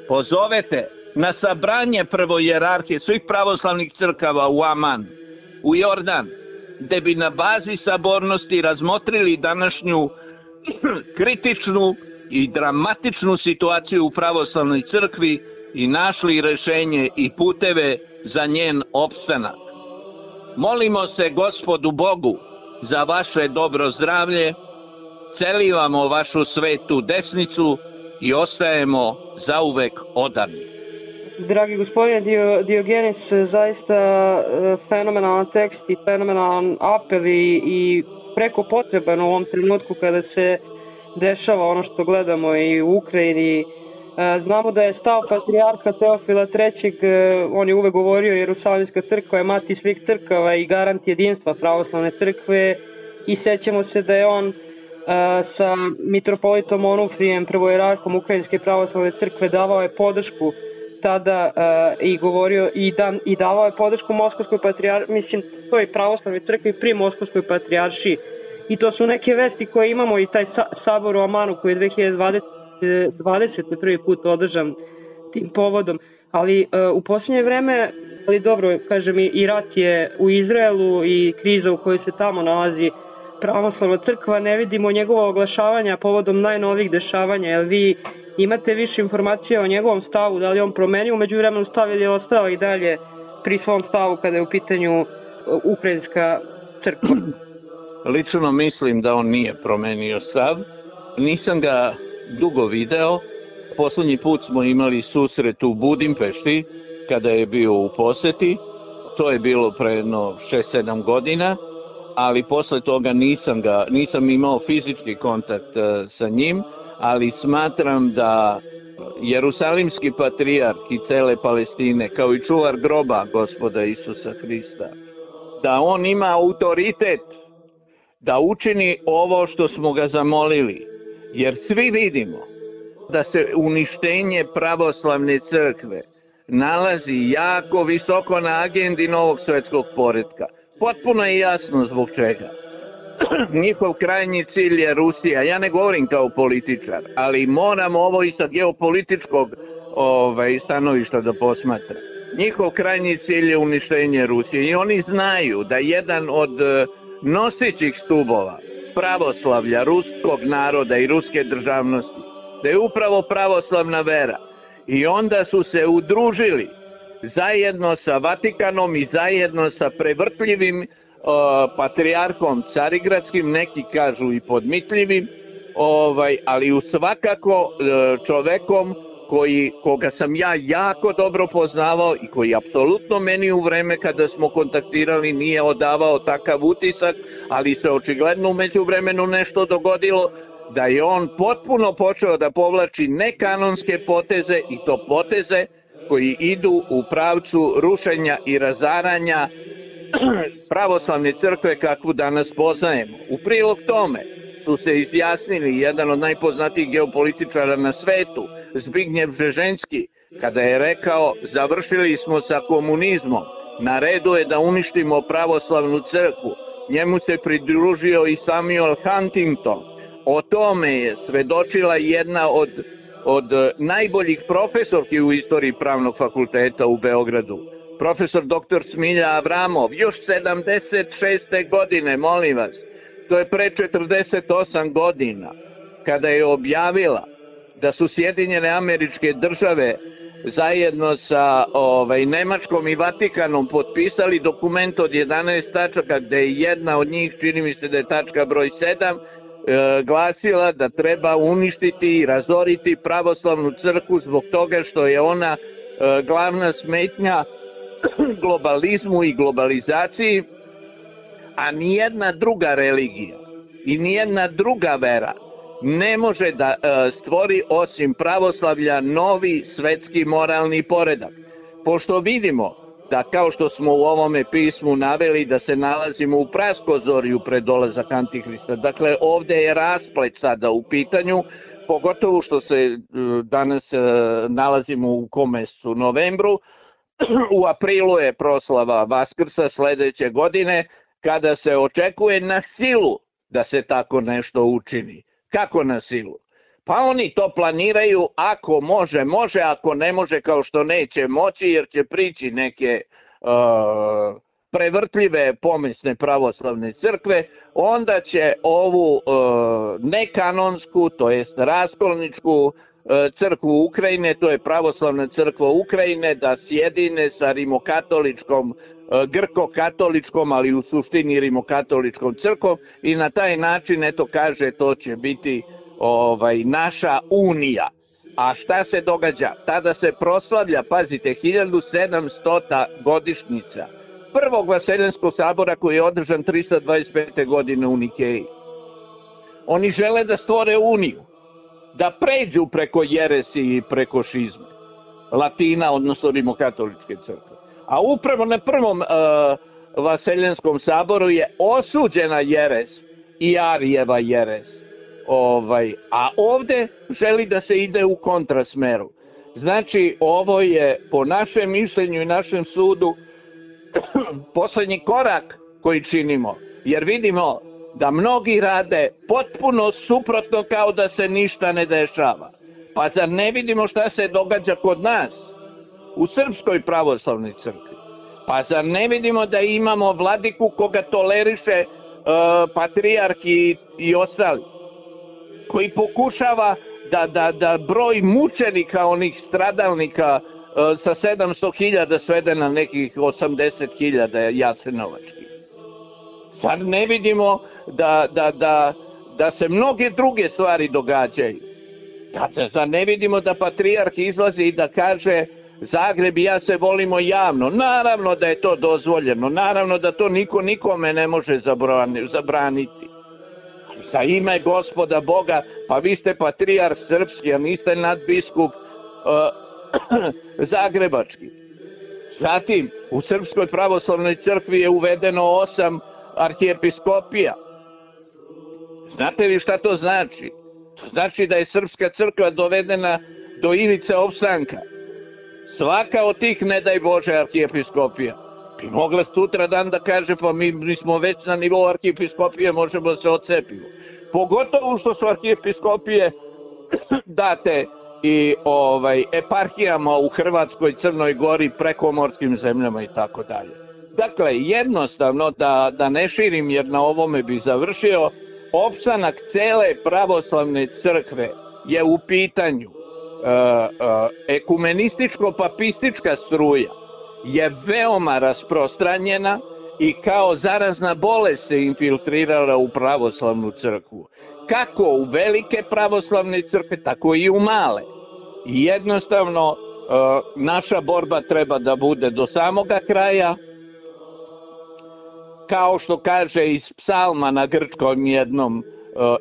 Speaker 7: pozovete na sabranje prvojerarhije svih pravoslavnih crkava u Aman, u Jordan, gde bi na bazi sabornosti razmotrili današnju kritičnu i dramatičnu situaciju u pravoslavnoj crkvi i našli rešenje i puteve za njen opstanak. Molimo se Gospodu Bogu za vaše dobro zdravlje, celivamo vašu svetu desnicu i ostajemo zauvek odani.
Speaker 6: Dragi gospodine Diogenis, zaista fenomenalan tekst i fenomenalan apel i, i preko potreban u ovom trenutku kada se dešava ono što gledamo i u Ukrajini. Znamo da je stav patrijarha Teofila trećeg, on je uvek govorio Jerusalimska crkva je mati svih crkava i garant jedinstva pravoslavne crkve i sećamo se da je on sa mitropolitom Onufrijem, prvojerarhom Ukrajinske pravoslavne crkve, davao je podršku tada uh, i govorio i, dan, i davao je podršku Moskovskoj patrijaršiji, mislim, toj pravoslavnoj crkvi pri Moskovskoj patrijaršiji. I to su neke vesti koje imamo i taj sa, sabor u Amanu koji je dve hiljade dvadesete prvi put održan tim povodom. Ali uh, u posljednje vreme, ali dobro, kažem, i, i rat je u Izraelu i kriza u kojoj se tamo nalazi pravoslavna crkva, ne vidimo njegovo oglašavanja povodom najnovijih dešavanja, jer vi imate više informacija o njegovom stavu, da li on promenio umeđu vremenu stav ili je ostao i dalje pri svom stavu kada je u pitanju ukrajinska crkva?
Speaker 7: Lično mislim da on nije promenio stav. Nisam ga dugo video. Poslednji put smo imali susret u Budimpešti kada je bio u poseti. To je bilo pre jedno šest sedam godina, ali posle toga nisam, ga, nisam imao fizički kontakt sa njim, ali smatram da Jerusalimski patrijarh i cele Palestine, kao i čuvar groba Gospoda Isusa Hrista, da on ima autoritet da učini ovo što smo ga zamolili. Jer svi vidimo da se uništenje pravoslavne crkve nalazi jako visoko na agendi novog svetskog poretka. Potpuno je jasno zbog čega. Njihov krajnji cilj je Rusija. Ja ne govorim kao političar, ali moram ovo i sa geopolitičkog ovaj, stanovišta da posmatram. Njihov krajnji cilj je uništenje Rusije i oni znaju da jedan od nosećih stubova pravoslavlja ruskog naroda i ruske državnosti, da je upravo pravoslavna vera. I onda su se udružili zajedno sa Vatikanom i zajedno sa prevrtljivim uh, patrijarhom carigradskim, neki kažu i podmitljivim, ovaj, ali u svakako uh, čovekom koji, koga sam ja jako dobro poznavao i koji apsolutno meni u vreme kada smo kontaktirali nije odavao takav utisak, ali se očigledno umeđu vremenu nešto dogodilo, da je on potpuno počeo da povlači nekanonske poteze i to poteze koji idu u pravcu rušenja i razaranja pravoslavne crkve kakvu danas poznajemo. U prilog tome su se izjasnili jedan od najpoznatijih geopolitičara na svetu, Zbignjev Bžeženski, kada je rekao završili smo sa komunizmom, na redu je da uništimo pravoslavnu crkvu. Njemu se pridružio i Samuel Huntington. O tome je svedočila jedna od, od najboljih profesorki u istoriji pravnog fakulteta u Beogradu, profesor doktor Smilja Avramov, još sedamdeset šeste godine, molim vas, to je pre četrdeset osam godina, kada je objavila da su Sjedinjene Američke Države zajedno sa ovaj, Nemačkom i Vatikanom potpisali dokument od jedanaest tačaka, gde je jedna od njih, čini mi se da je tačka broj sedam, e, glasila da treba uništiti i razoriti pravoslavnu crkvu zbog toga što je ona e, glavna smetnja globalizmu i globalizaciji, a nijedna druga religija i nijedna druga vera ne može da e, stvori osim pravoslavlja novi svetski moralni poredak. Pošto vidimo da, kao što smo u ovome pismu naveli, da se nalazimo u praskozorju pred dolazak Antihrista, dakle ovde je rasplet sada u pitanju, pogotovo što se e, danas e, nalazimo u kom mesecu, novembru, u aprilu je proslava Vaskrsa sledeće godine, kada se očekuje na silu da se tako nešto učini. Kako na silu? Pa oni to planiraju, ako može, može, ako ne može, kao što neće moći, jer će prići neke uh, prevrtljive pomesne pravoslavne crkve, onda će ovu uh, nekanonsku, to jest raskolničku uh, crkvu Ukrajine, to je pravoslavna crkva Ukrajine, da sjedine sa rimokatoličkom, uh, grko-katoličkom, ali u suštini rimokatoličkom crkvom i na taj način, eto kaže, to će biti ovaj, naša unija. A šta se događa? Tada se proslavlja, pazite, hiljadu sedamstota godišnjica prvog Vaseljenskog sabora koji je održan trista dvadeset pete godine u Nikeji. Oni žele da stvore uniju, da pređu preko jeresi i preko šizme Latina, odnosno rimokatoličke crkve. A upravo na prvom uh, Vaseljenskom saboru je osuđena jeres i Arijeva jeres. Ovaj, a ovde želi da se ide u kontrasmeru. Znači, ovo je po našem mišljenju i našem sudu poslednji korak koji činimo, jer vidimo da mnogi rade potpuno suprotno kao da se ništa ne dešava. Pa zar ne vidimo šta se događa kod nas u Srpskoj pravoslavnoj crkvi? Pa zar ne vidimo da imamo vladiku koga toleriše uh, patrijarh i, i ostali, koji pokušava da, da, da broj mučenika, onih stradalnika uh, sa sedamsto hiljada svede na nekih osamdeset hiljada jasenovačkih. Zar ne vidimo da, da, da, da se mnoge druge stvari događaju? Da, zar ne vidimo da patrijarh izlazi i da kaže Zagreb i ja se volimo javno? Naravno da je to dozvoljeno, naravno da to niko nikome ne može zabraniti. Za ime Gospoda Boga, pa vi ste patrijarh srpski, a niste nadbiskup uh, zagrebački. Zatim, u Srpskoj pravoslavnoj crkvi je uvedeno osam arhijepiskopija. Znate li šta to znači? To znači da je Srpska crkva dovedena do ivice opstanka. Svaka od tih, ne daj Bože, arhijepiskopija bi mogla sutra dan da kaže pa mi, mi smo već na nivou arhijepiskopije, možemo da se odcepimo. Pogotovo što su arhijepiskopije date i ovaj, eparhijama u Hrvatskoj, Crnoj Gori, prekomorskim zemljama i tako dalje. Dakle, jednostavno, da, da ne širim jer na ovome bi završio, opstanak cele pravoslavne crkve je u pitanju. Uh, uh, ekumenističko-papistička struja je veoma rasprostranjena i kao zarazna bolest se infiltrirala u pravoslavnu crkvu. Kako u velike pravoslavne crkve, tako i u male. I jednostavno uh, naša borba treba da bude do samoga kraja, kao što kaže iz psalma na grčkom jednom, uh,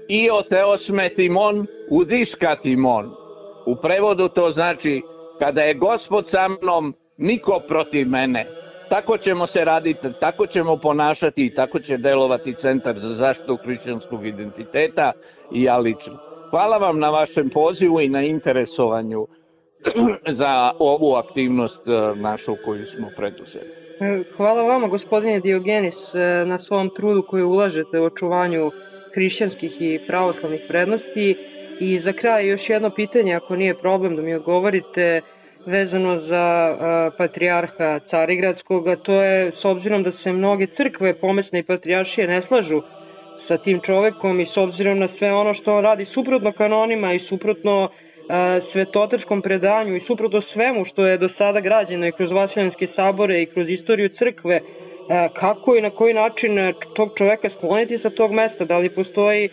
Speaker 7: io theos me timon, udiska timon. U prevodu to znači, kada je Gospod sa mnom, niko protiv mene. Tako ćemo se raditi, tako ćemo ponašati i tako će delovati Centar za zaštitu hrišćanskog identiteta i ja lično. Hvala vam na vašem pozivu i na interesovanju za ovu aktivnost našu koju smo preduzeli.
Speaker 6: Hvala vama, gospodine Diogenis, na svom trudu koji ulažete u očuvanju hrišćanskih i pravoslavnih vrednosti. I za kraj još jedno pitanje, ako nije problem da mi odgovorite, vezano za uh, patrijarha Carigradskog, a to je s obzirom da se mnoge crkve, pomesne i patrijaršije ne slažu sa tim čovekom i s obzirom na sve ono što on radi suprotno kanonima i suprotno uh, svetotačkom predanju i suprotno svemu što je do sada građeno i kroz Vasiljanske sabore i kroz istoriju crkve, uh, kako i na koji način tog čoveka skloniti sa tog mesta, da li postoji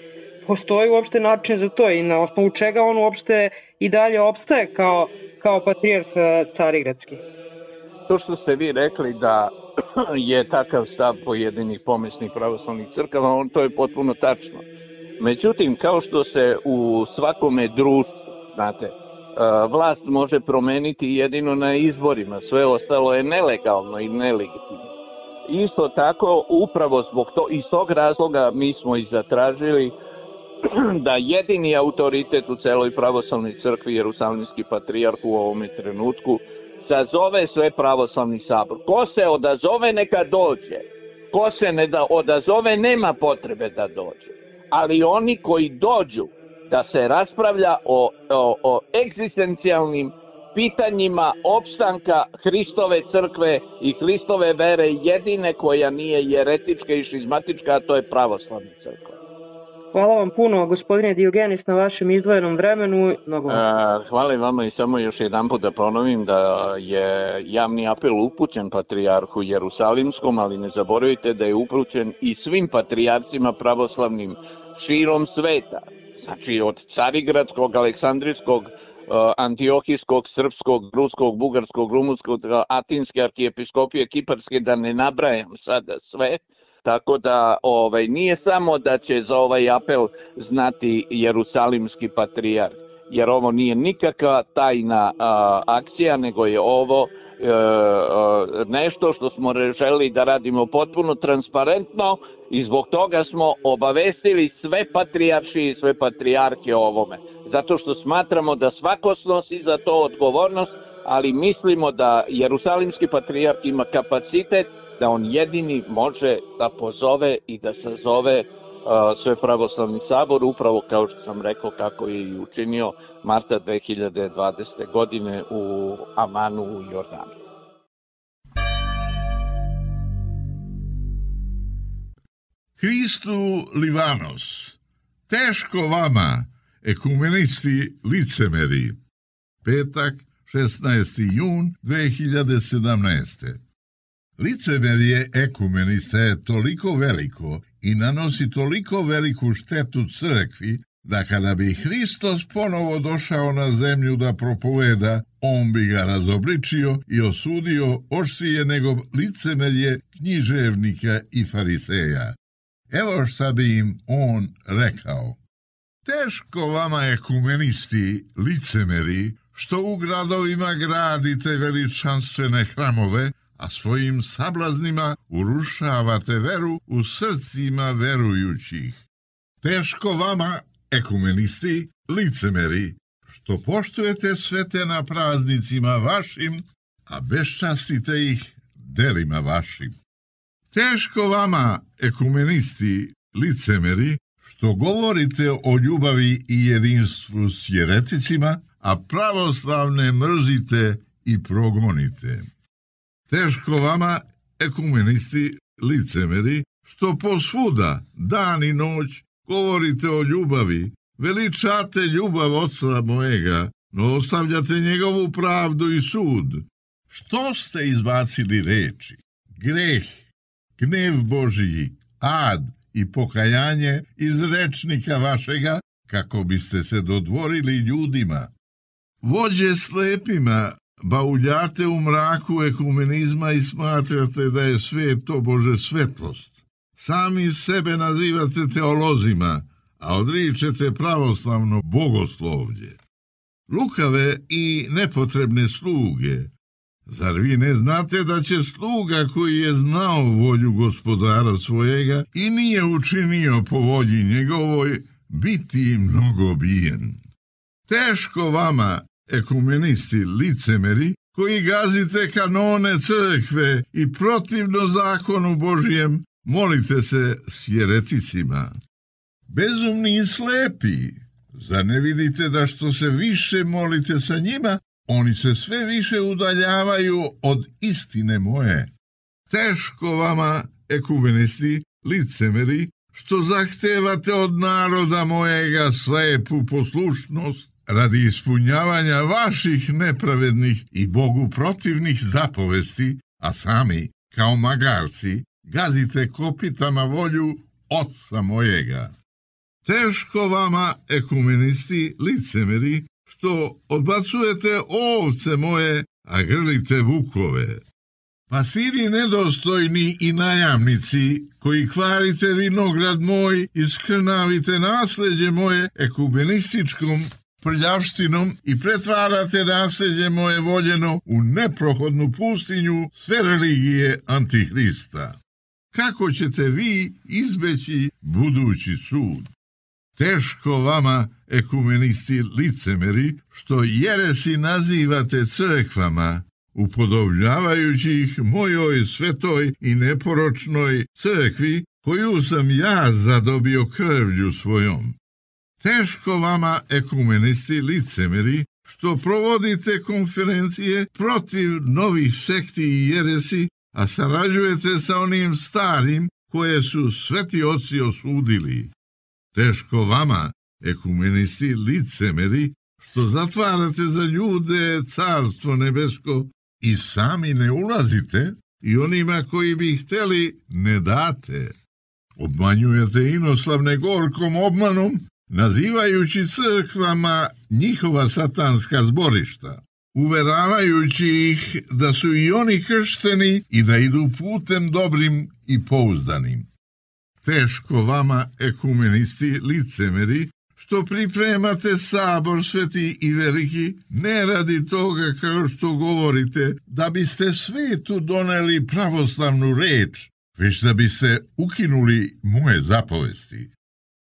Speaker 6: Postoji uopšte način za to i na osnovu čega on uopšte i dalje opstaje kao, kao patrijarh Carigradski?
Speaker 7: To što ste vi rekli da je takav stav pojedinih pomesnih pravoslavnih crkava, on to je potpuno tačno. Međutim, kao što se u svakome društvu, znate, vlast može promeniti jedino na izborima, sve ostalo je nelegalno i nelegitimno. Isto tako, upravo zbog to, iz tog razloga mi smo i zatražili da jedini autoritet u celoj pravoslavnoj crkvi, Jerusalimski patrijarh u ovome trenutku, sazove sve pravoslavni sabor. Ko se odazove, neka dođe. Ko se ne da odazove, nema potrebe da dođe. Ali oni koji dođu da se raspravlja o, o, o egzistencijalnim pitanjima opstanka Hristove crkve i Hristove vere, jedine koja nije jeretička i šizmatička, a to je pravoslavna crkva.
Speaker 6: Hvala vam puno, gospodine Diogenis, na vašem izdvojenom vremenu. Mnogo vam.
Speaker 7: Hvala i vama i samo još jedan put da ponovim da je javni apel upućen patrijarhu Jerusalimskom, ali ne zaboravite da je upućen i svim patrijarcima pravoslavnim širom sveta. Znači od Carigradskog, Aleksandrijskog, Antiohijskog, Srpskog, Ruskog, Bugarskog, Rumunskog, Atinske arhijepiskopije, Kiparske, da ne nabrajam sada sve. Tako da ovaj, nije samo da će za ovaj apel znati Jerusalimski patrijarh, jer ovo nije nikakva tajna a, akcija, nego je ovo e, a, nešto što smo želeli da radimo potpuno transparentno i zbog toga smo obavestili sve patrijaršije i sve patrijarke o ovome. zato što smatramo da svako snosi za to odgovornost, ali mislimo da Jerusalimski patrijarh ima kapacitet da on jedini može da pozove i da sazove uh, Svepravoslavni sabor, upravo kao što sam rekao kako je i učinio marta dve hiljade dvadesete. godine u Amanu u Jordanu.
Speaker 2: Hristu Livanos, teško vama, ekumenisti licemeri. Petak, šesnaesti jun dve hiljade sedamnaeste. Licemerje ekumenista je toliko veliko i nanosi toliko veliku štetu crkvi, da kada bi Hristos ponovo došao na zemlju da propoveda, on bi ga razobličio i osudio oštrije nego licemerje književnika i fariseja. Evo šta bi im on rekao. Teško vama ekumenisti, licemeri, što u gradovima gradite veličanstvene hramove, a svojim sablaznima urušavate veru u srcima verujućih. Teško vama, ekumenisti, licemeri, što poštujete svete na praznicima vašim, a beščastite ih delima vašim. Teško vama, ekumenisti, licemeri, što govorite o ljubavi i jedinstvu s jereticima, a pravoslavne mrzite i progonite. Teško vama, ekumenisti, licemeri, što posvuda, dan i noć, govorite o ljubavi, veličate ljubav Oca mojega, no ostavljate njegovu pravdu i sud. Što ste izbacili reči? Greh, gnev Božiji, ad i pokajanje iz rečnika vašega, kako biste se dodvorili ljudima. Vođe slepima, bauljate u mraku ekumenizma i smatrate da je svet to Bože svetlost. Sami sebe nazivate teolozima, a odričete pravoslavno bogoslovlje. Lukave i nepotrebne sluge. Zar vi ne znate da će sluga koji je znao volju gospodara svojega i nije učinio po volji njegovoj, biti mnogo bijen? Teško vama, ekumenisti licemeri, koji gazite kanone crkve i protivno zakonu Božijem molite se s jereticima. Bezumni i slepi, zar ne vidite da što se više molite sa njima, oni se sve više udaljavaju od istine moje? Teško vama, ekumenisti, licemeri, što zahtevate od naroda mojega slepu poslušnost radi ispunjavanja vaših nepravednih i Bogu protivnih zapovesti, a sami, kao magarci, gazite kopitama volju Oca mojega. Teško vama, ekumenisti, licemeri, što odbacujete ovce moje, a grlite vukove. Pasiri nedostojni i najamnici, koji kvarite vinograd moj i skrnavite nasleđe moje ekumenističkom prljavštinom i pretvarate nasleđe moje voljeno u neprohodnu pustinju sve religije Antihrista. Kako ćete vi izbeći budući sud? Teško vama, ekumenisti licemeri, što jeresi nazivate crkvama, upodobljavajući ih mojoj svetoj i neporočnoj crkvi, koju sam ja zadobio krvlju svojom. Teško vama, ekumenisti licemeri, što provodite konferencije protiv novih sekti i jeresi, a sarađujete sa onim starim koje su sveti oci osudili. Teško vama, ekumenisti licemeri, što zatvarate za ljude carstvo nebesko i sami ne ulazite i onima koji bi hteli ne date. Obmanjujete inoslavne gorkom obmanom, nazivajući crkvama njihova satanska zborišta, uveravajući ih da su i oni kršteni i da idu putem dobrim i pouzdanim. Teško vama, ekumenisti licemeri, što pripremate sabor sveti i veliki, ne radi toga kao što govorite, da biste svetu doneli pravoslavnu reč, već da biste ukinuli moje zapovesti.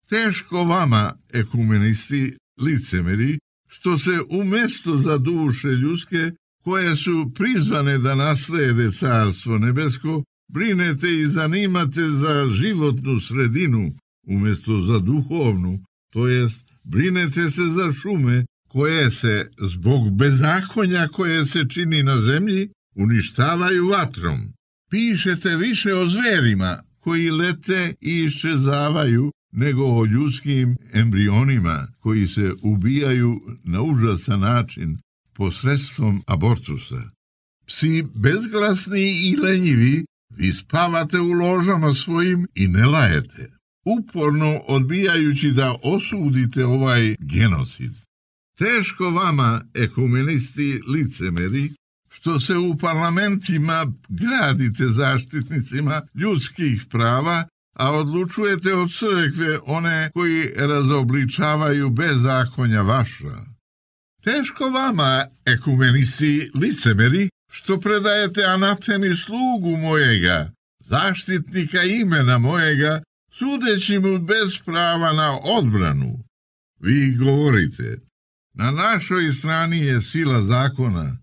Speaker 2: Teško vama, ekumenisti licemeri, što se umjesto za duše ljudske, koje su prizvane da naslede carstvo nebesko, brinete i zanimate za životnu sredinu, umjesto za duhovnu, to jest brinete se za šume, koje se, zbog bezakonja koje se čini na zemlji, uništavaju vatrom. Pišete više o zverima, koji lete i iščezavaju, nego o ljudskim embrionima, koji se ubijaju na užasan način, posredstvom abortusa. Psi bezglasni i lenjivi, vi spavate u ložama svojim i ne lajete, uporno odbijajući da osudite ovaj genocid. Teško vama, ekumenisti licemeri, što se u parlamentima gradite zaštitnicima ljudskih prava, a odlučujete od crkve one koji razobličavaju bezakonja vaša. Teško vama, ekumenisti licemeri, što predajete anatemi slugu mojega, zaštitnika imena mojega, sudeći mu bez prava na odbranu. Vi govorite, na našoj strani je sila zakona.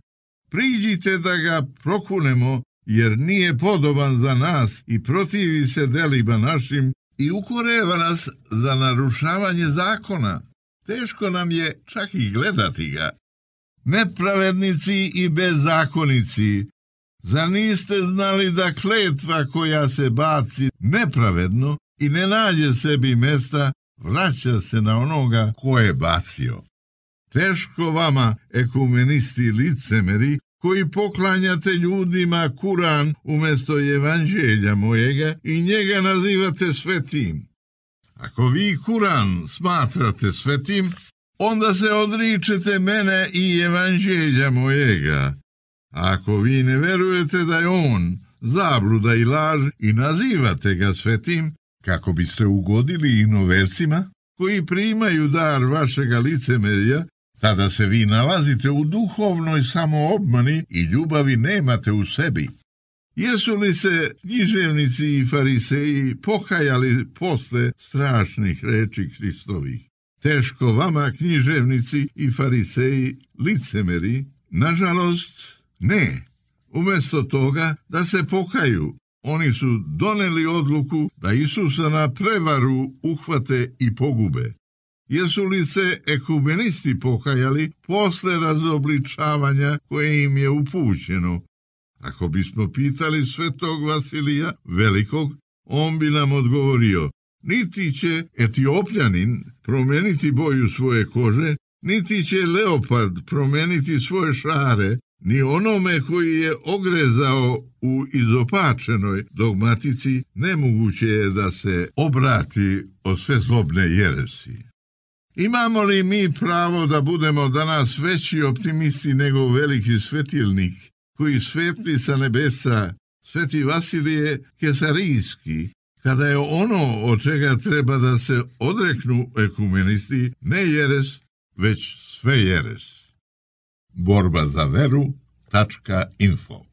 Speaker 2: Priđite da ga prokunemo, jer nije podoban za nas i protivi se delima našim i ukoreva nas za narušavanje zakona. Teško nam je čak i gledati ga. Nepravednici i bezzakonici, zar niste znali da kletva koja se baci nepravedno i ne nađe sebi mesta, vraća se na onoga ko je bacio? Teško vama, ekumenisti licemeri, koji poklanjate ljudima Kuran umjesto evanđelja mojega i njega nazivate svetim. Ako vi Kuran smatrate svetim, onda se odričete mene i evanđelja mojega. A ako vi ne verujete da je on zabluda i laž i nazivate ga svetim, kako biste ugodili inoversima koji primaju dar vašega licemerja, tada se vi nalazite u duhovnoj samoobmani i ljubavi nemate u sebi. Jesu li se književnici i fariseji pokajali posle strašnih reči Hristovih? Teško vama, književnici i fariseji, licemeri, nažalost, ne. Umjesto toga da se pokaju, oni su doneli odluku da Isusa na prevaru uhvate i pogube. Jesu li se ekumenisti pokajali posle razobličavanja koje im je upućeno? Ako bismo pitali svetog Vasilija Velikog, on bi nam odgovorio, niti će Etiopljanin promeniti boju svoje kože, niti će leopard promeniti svoje šare, ni onome koji je ogrezao u izopačenoj dogmatici nemoguće je da se obrati od sve zlobne jeresi. Imamo li mi pravo da budemo danas veći optimisti nego veliki svetilnik, koji svetli sa nebesa, sveti Vasilije Kesarijski, kada je ono od čega treba da se odreknu ekumenisti ne jeres, već sve jeres. Borba za veru tačka info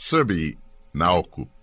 Speaker 1: Srbiji na okup.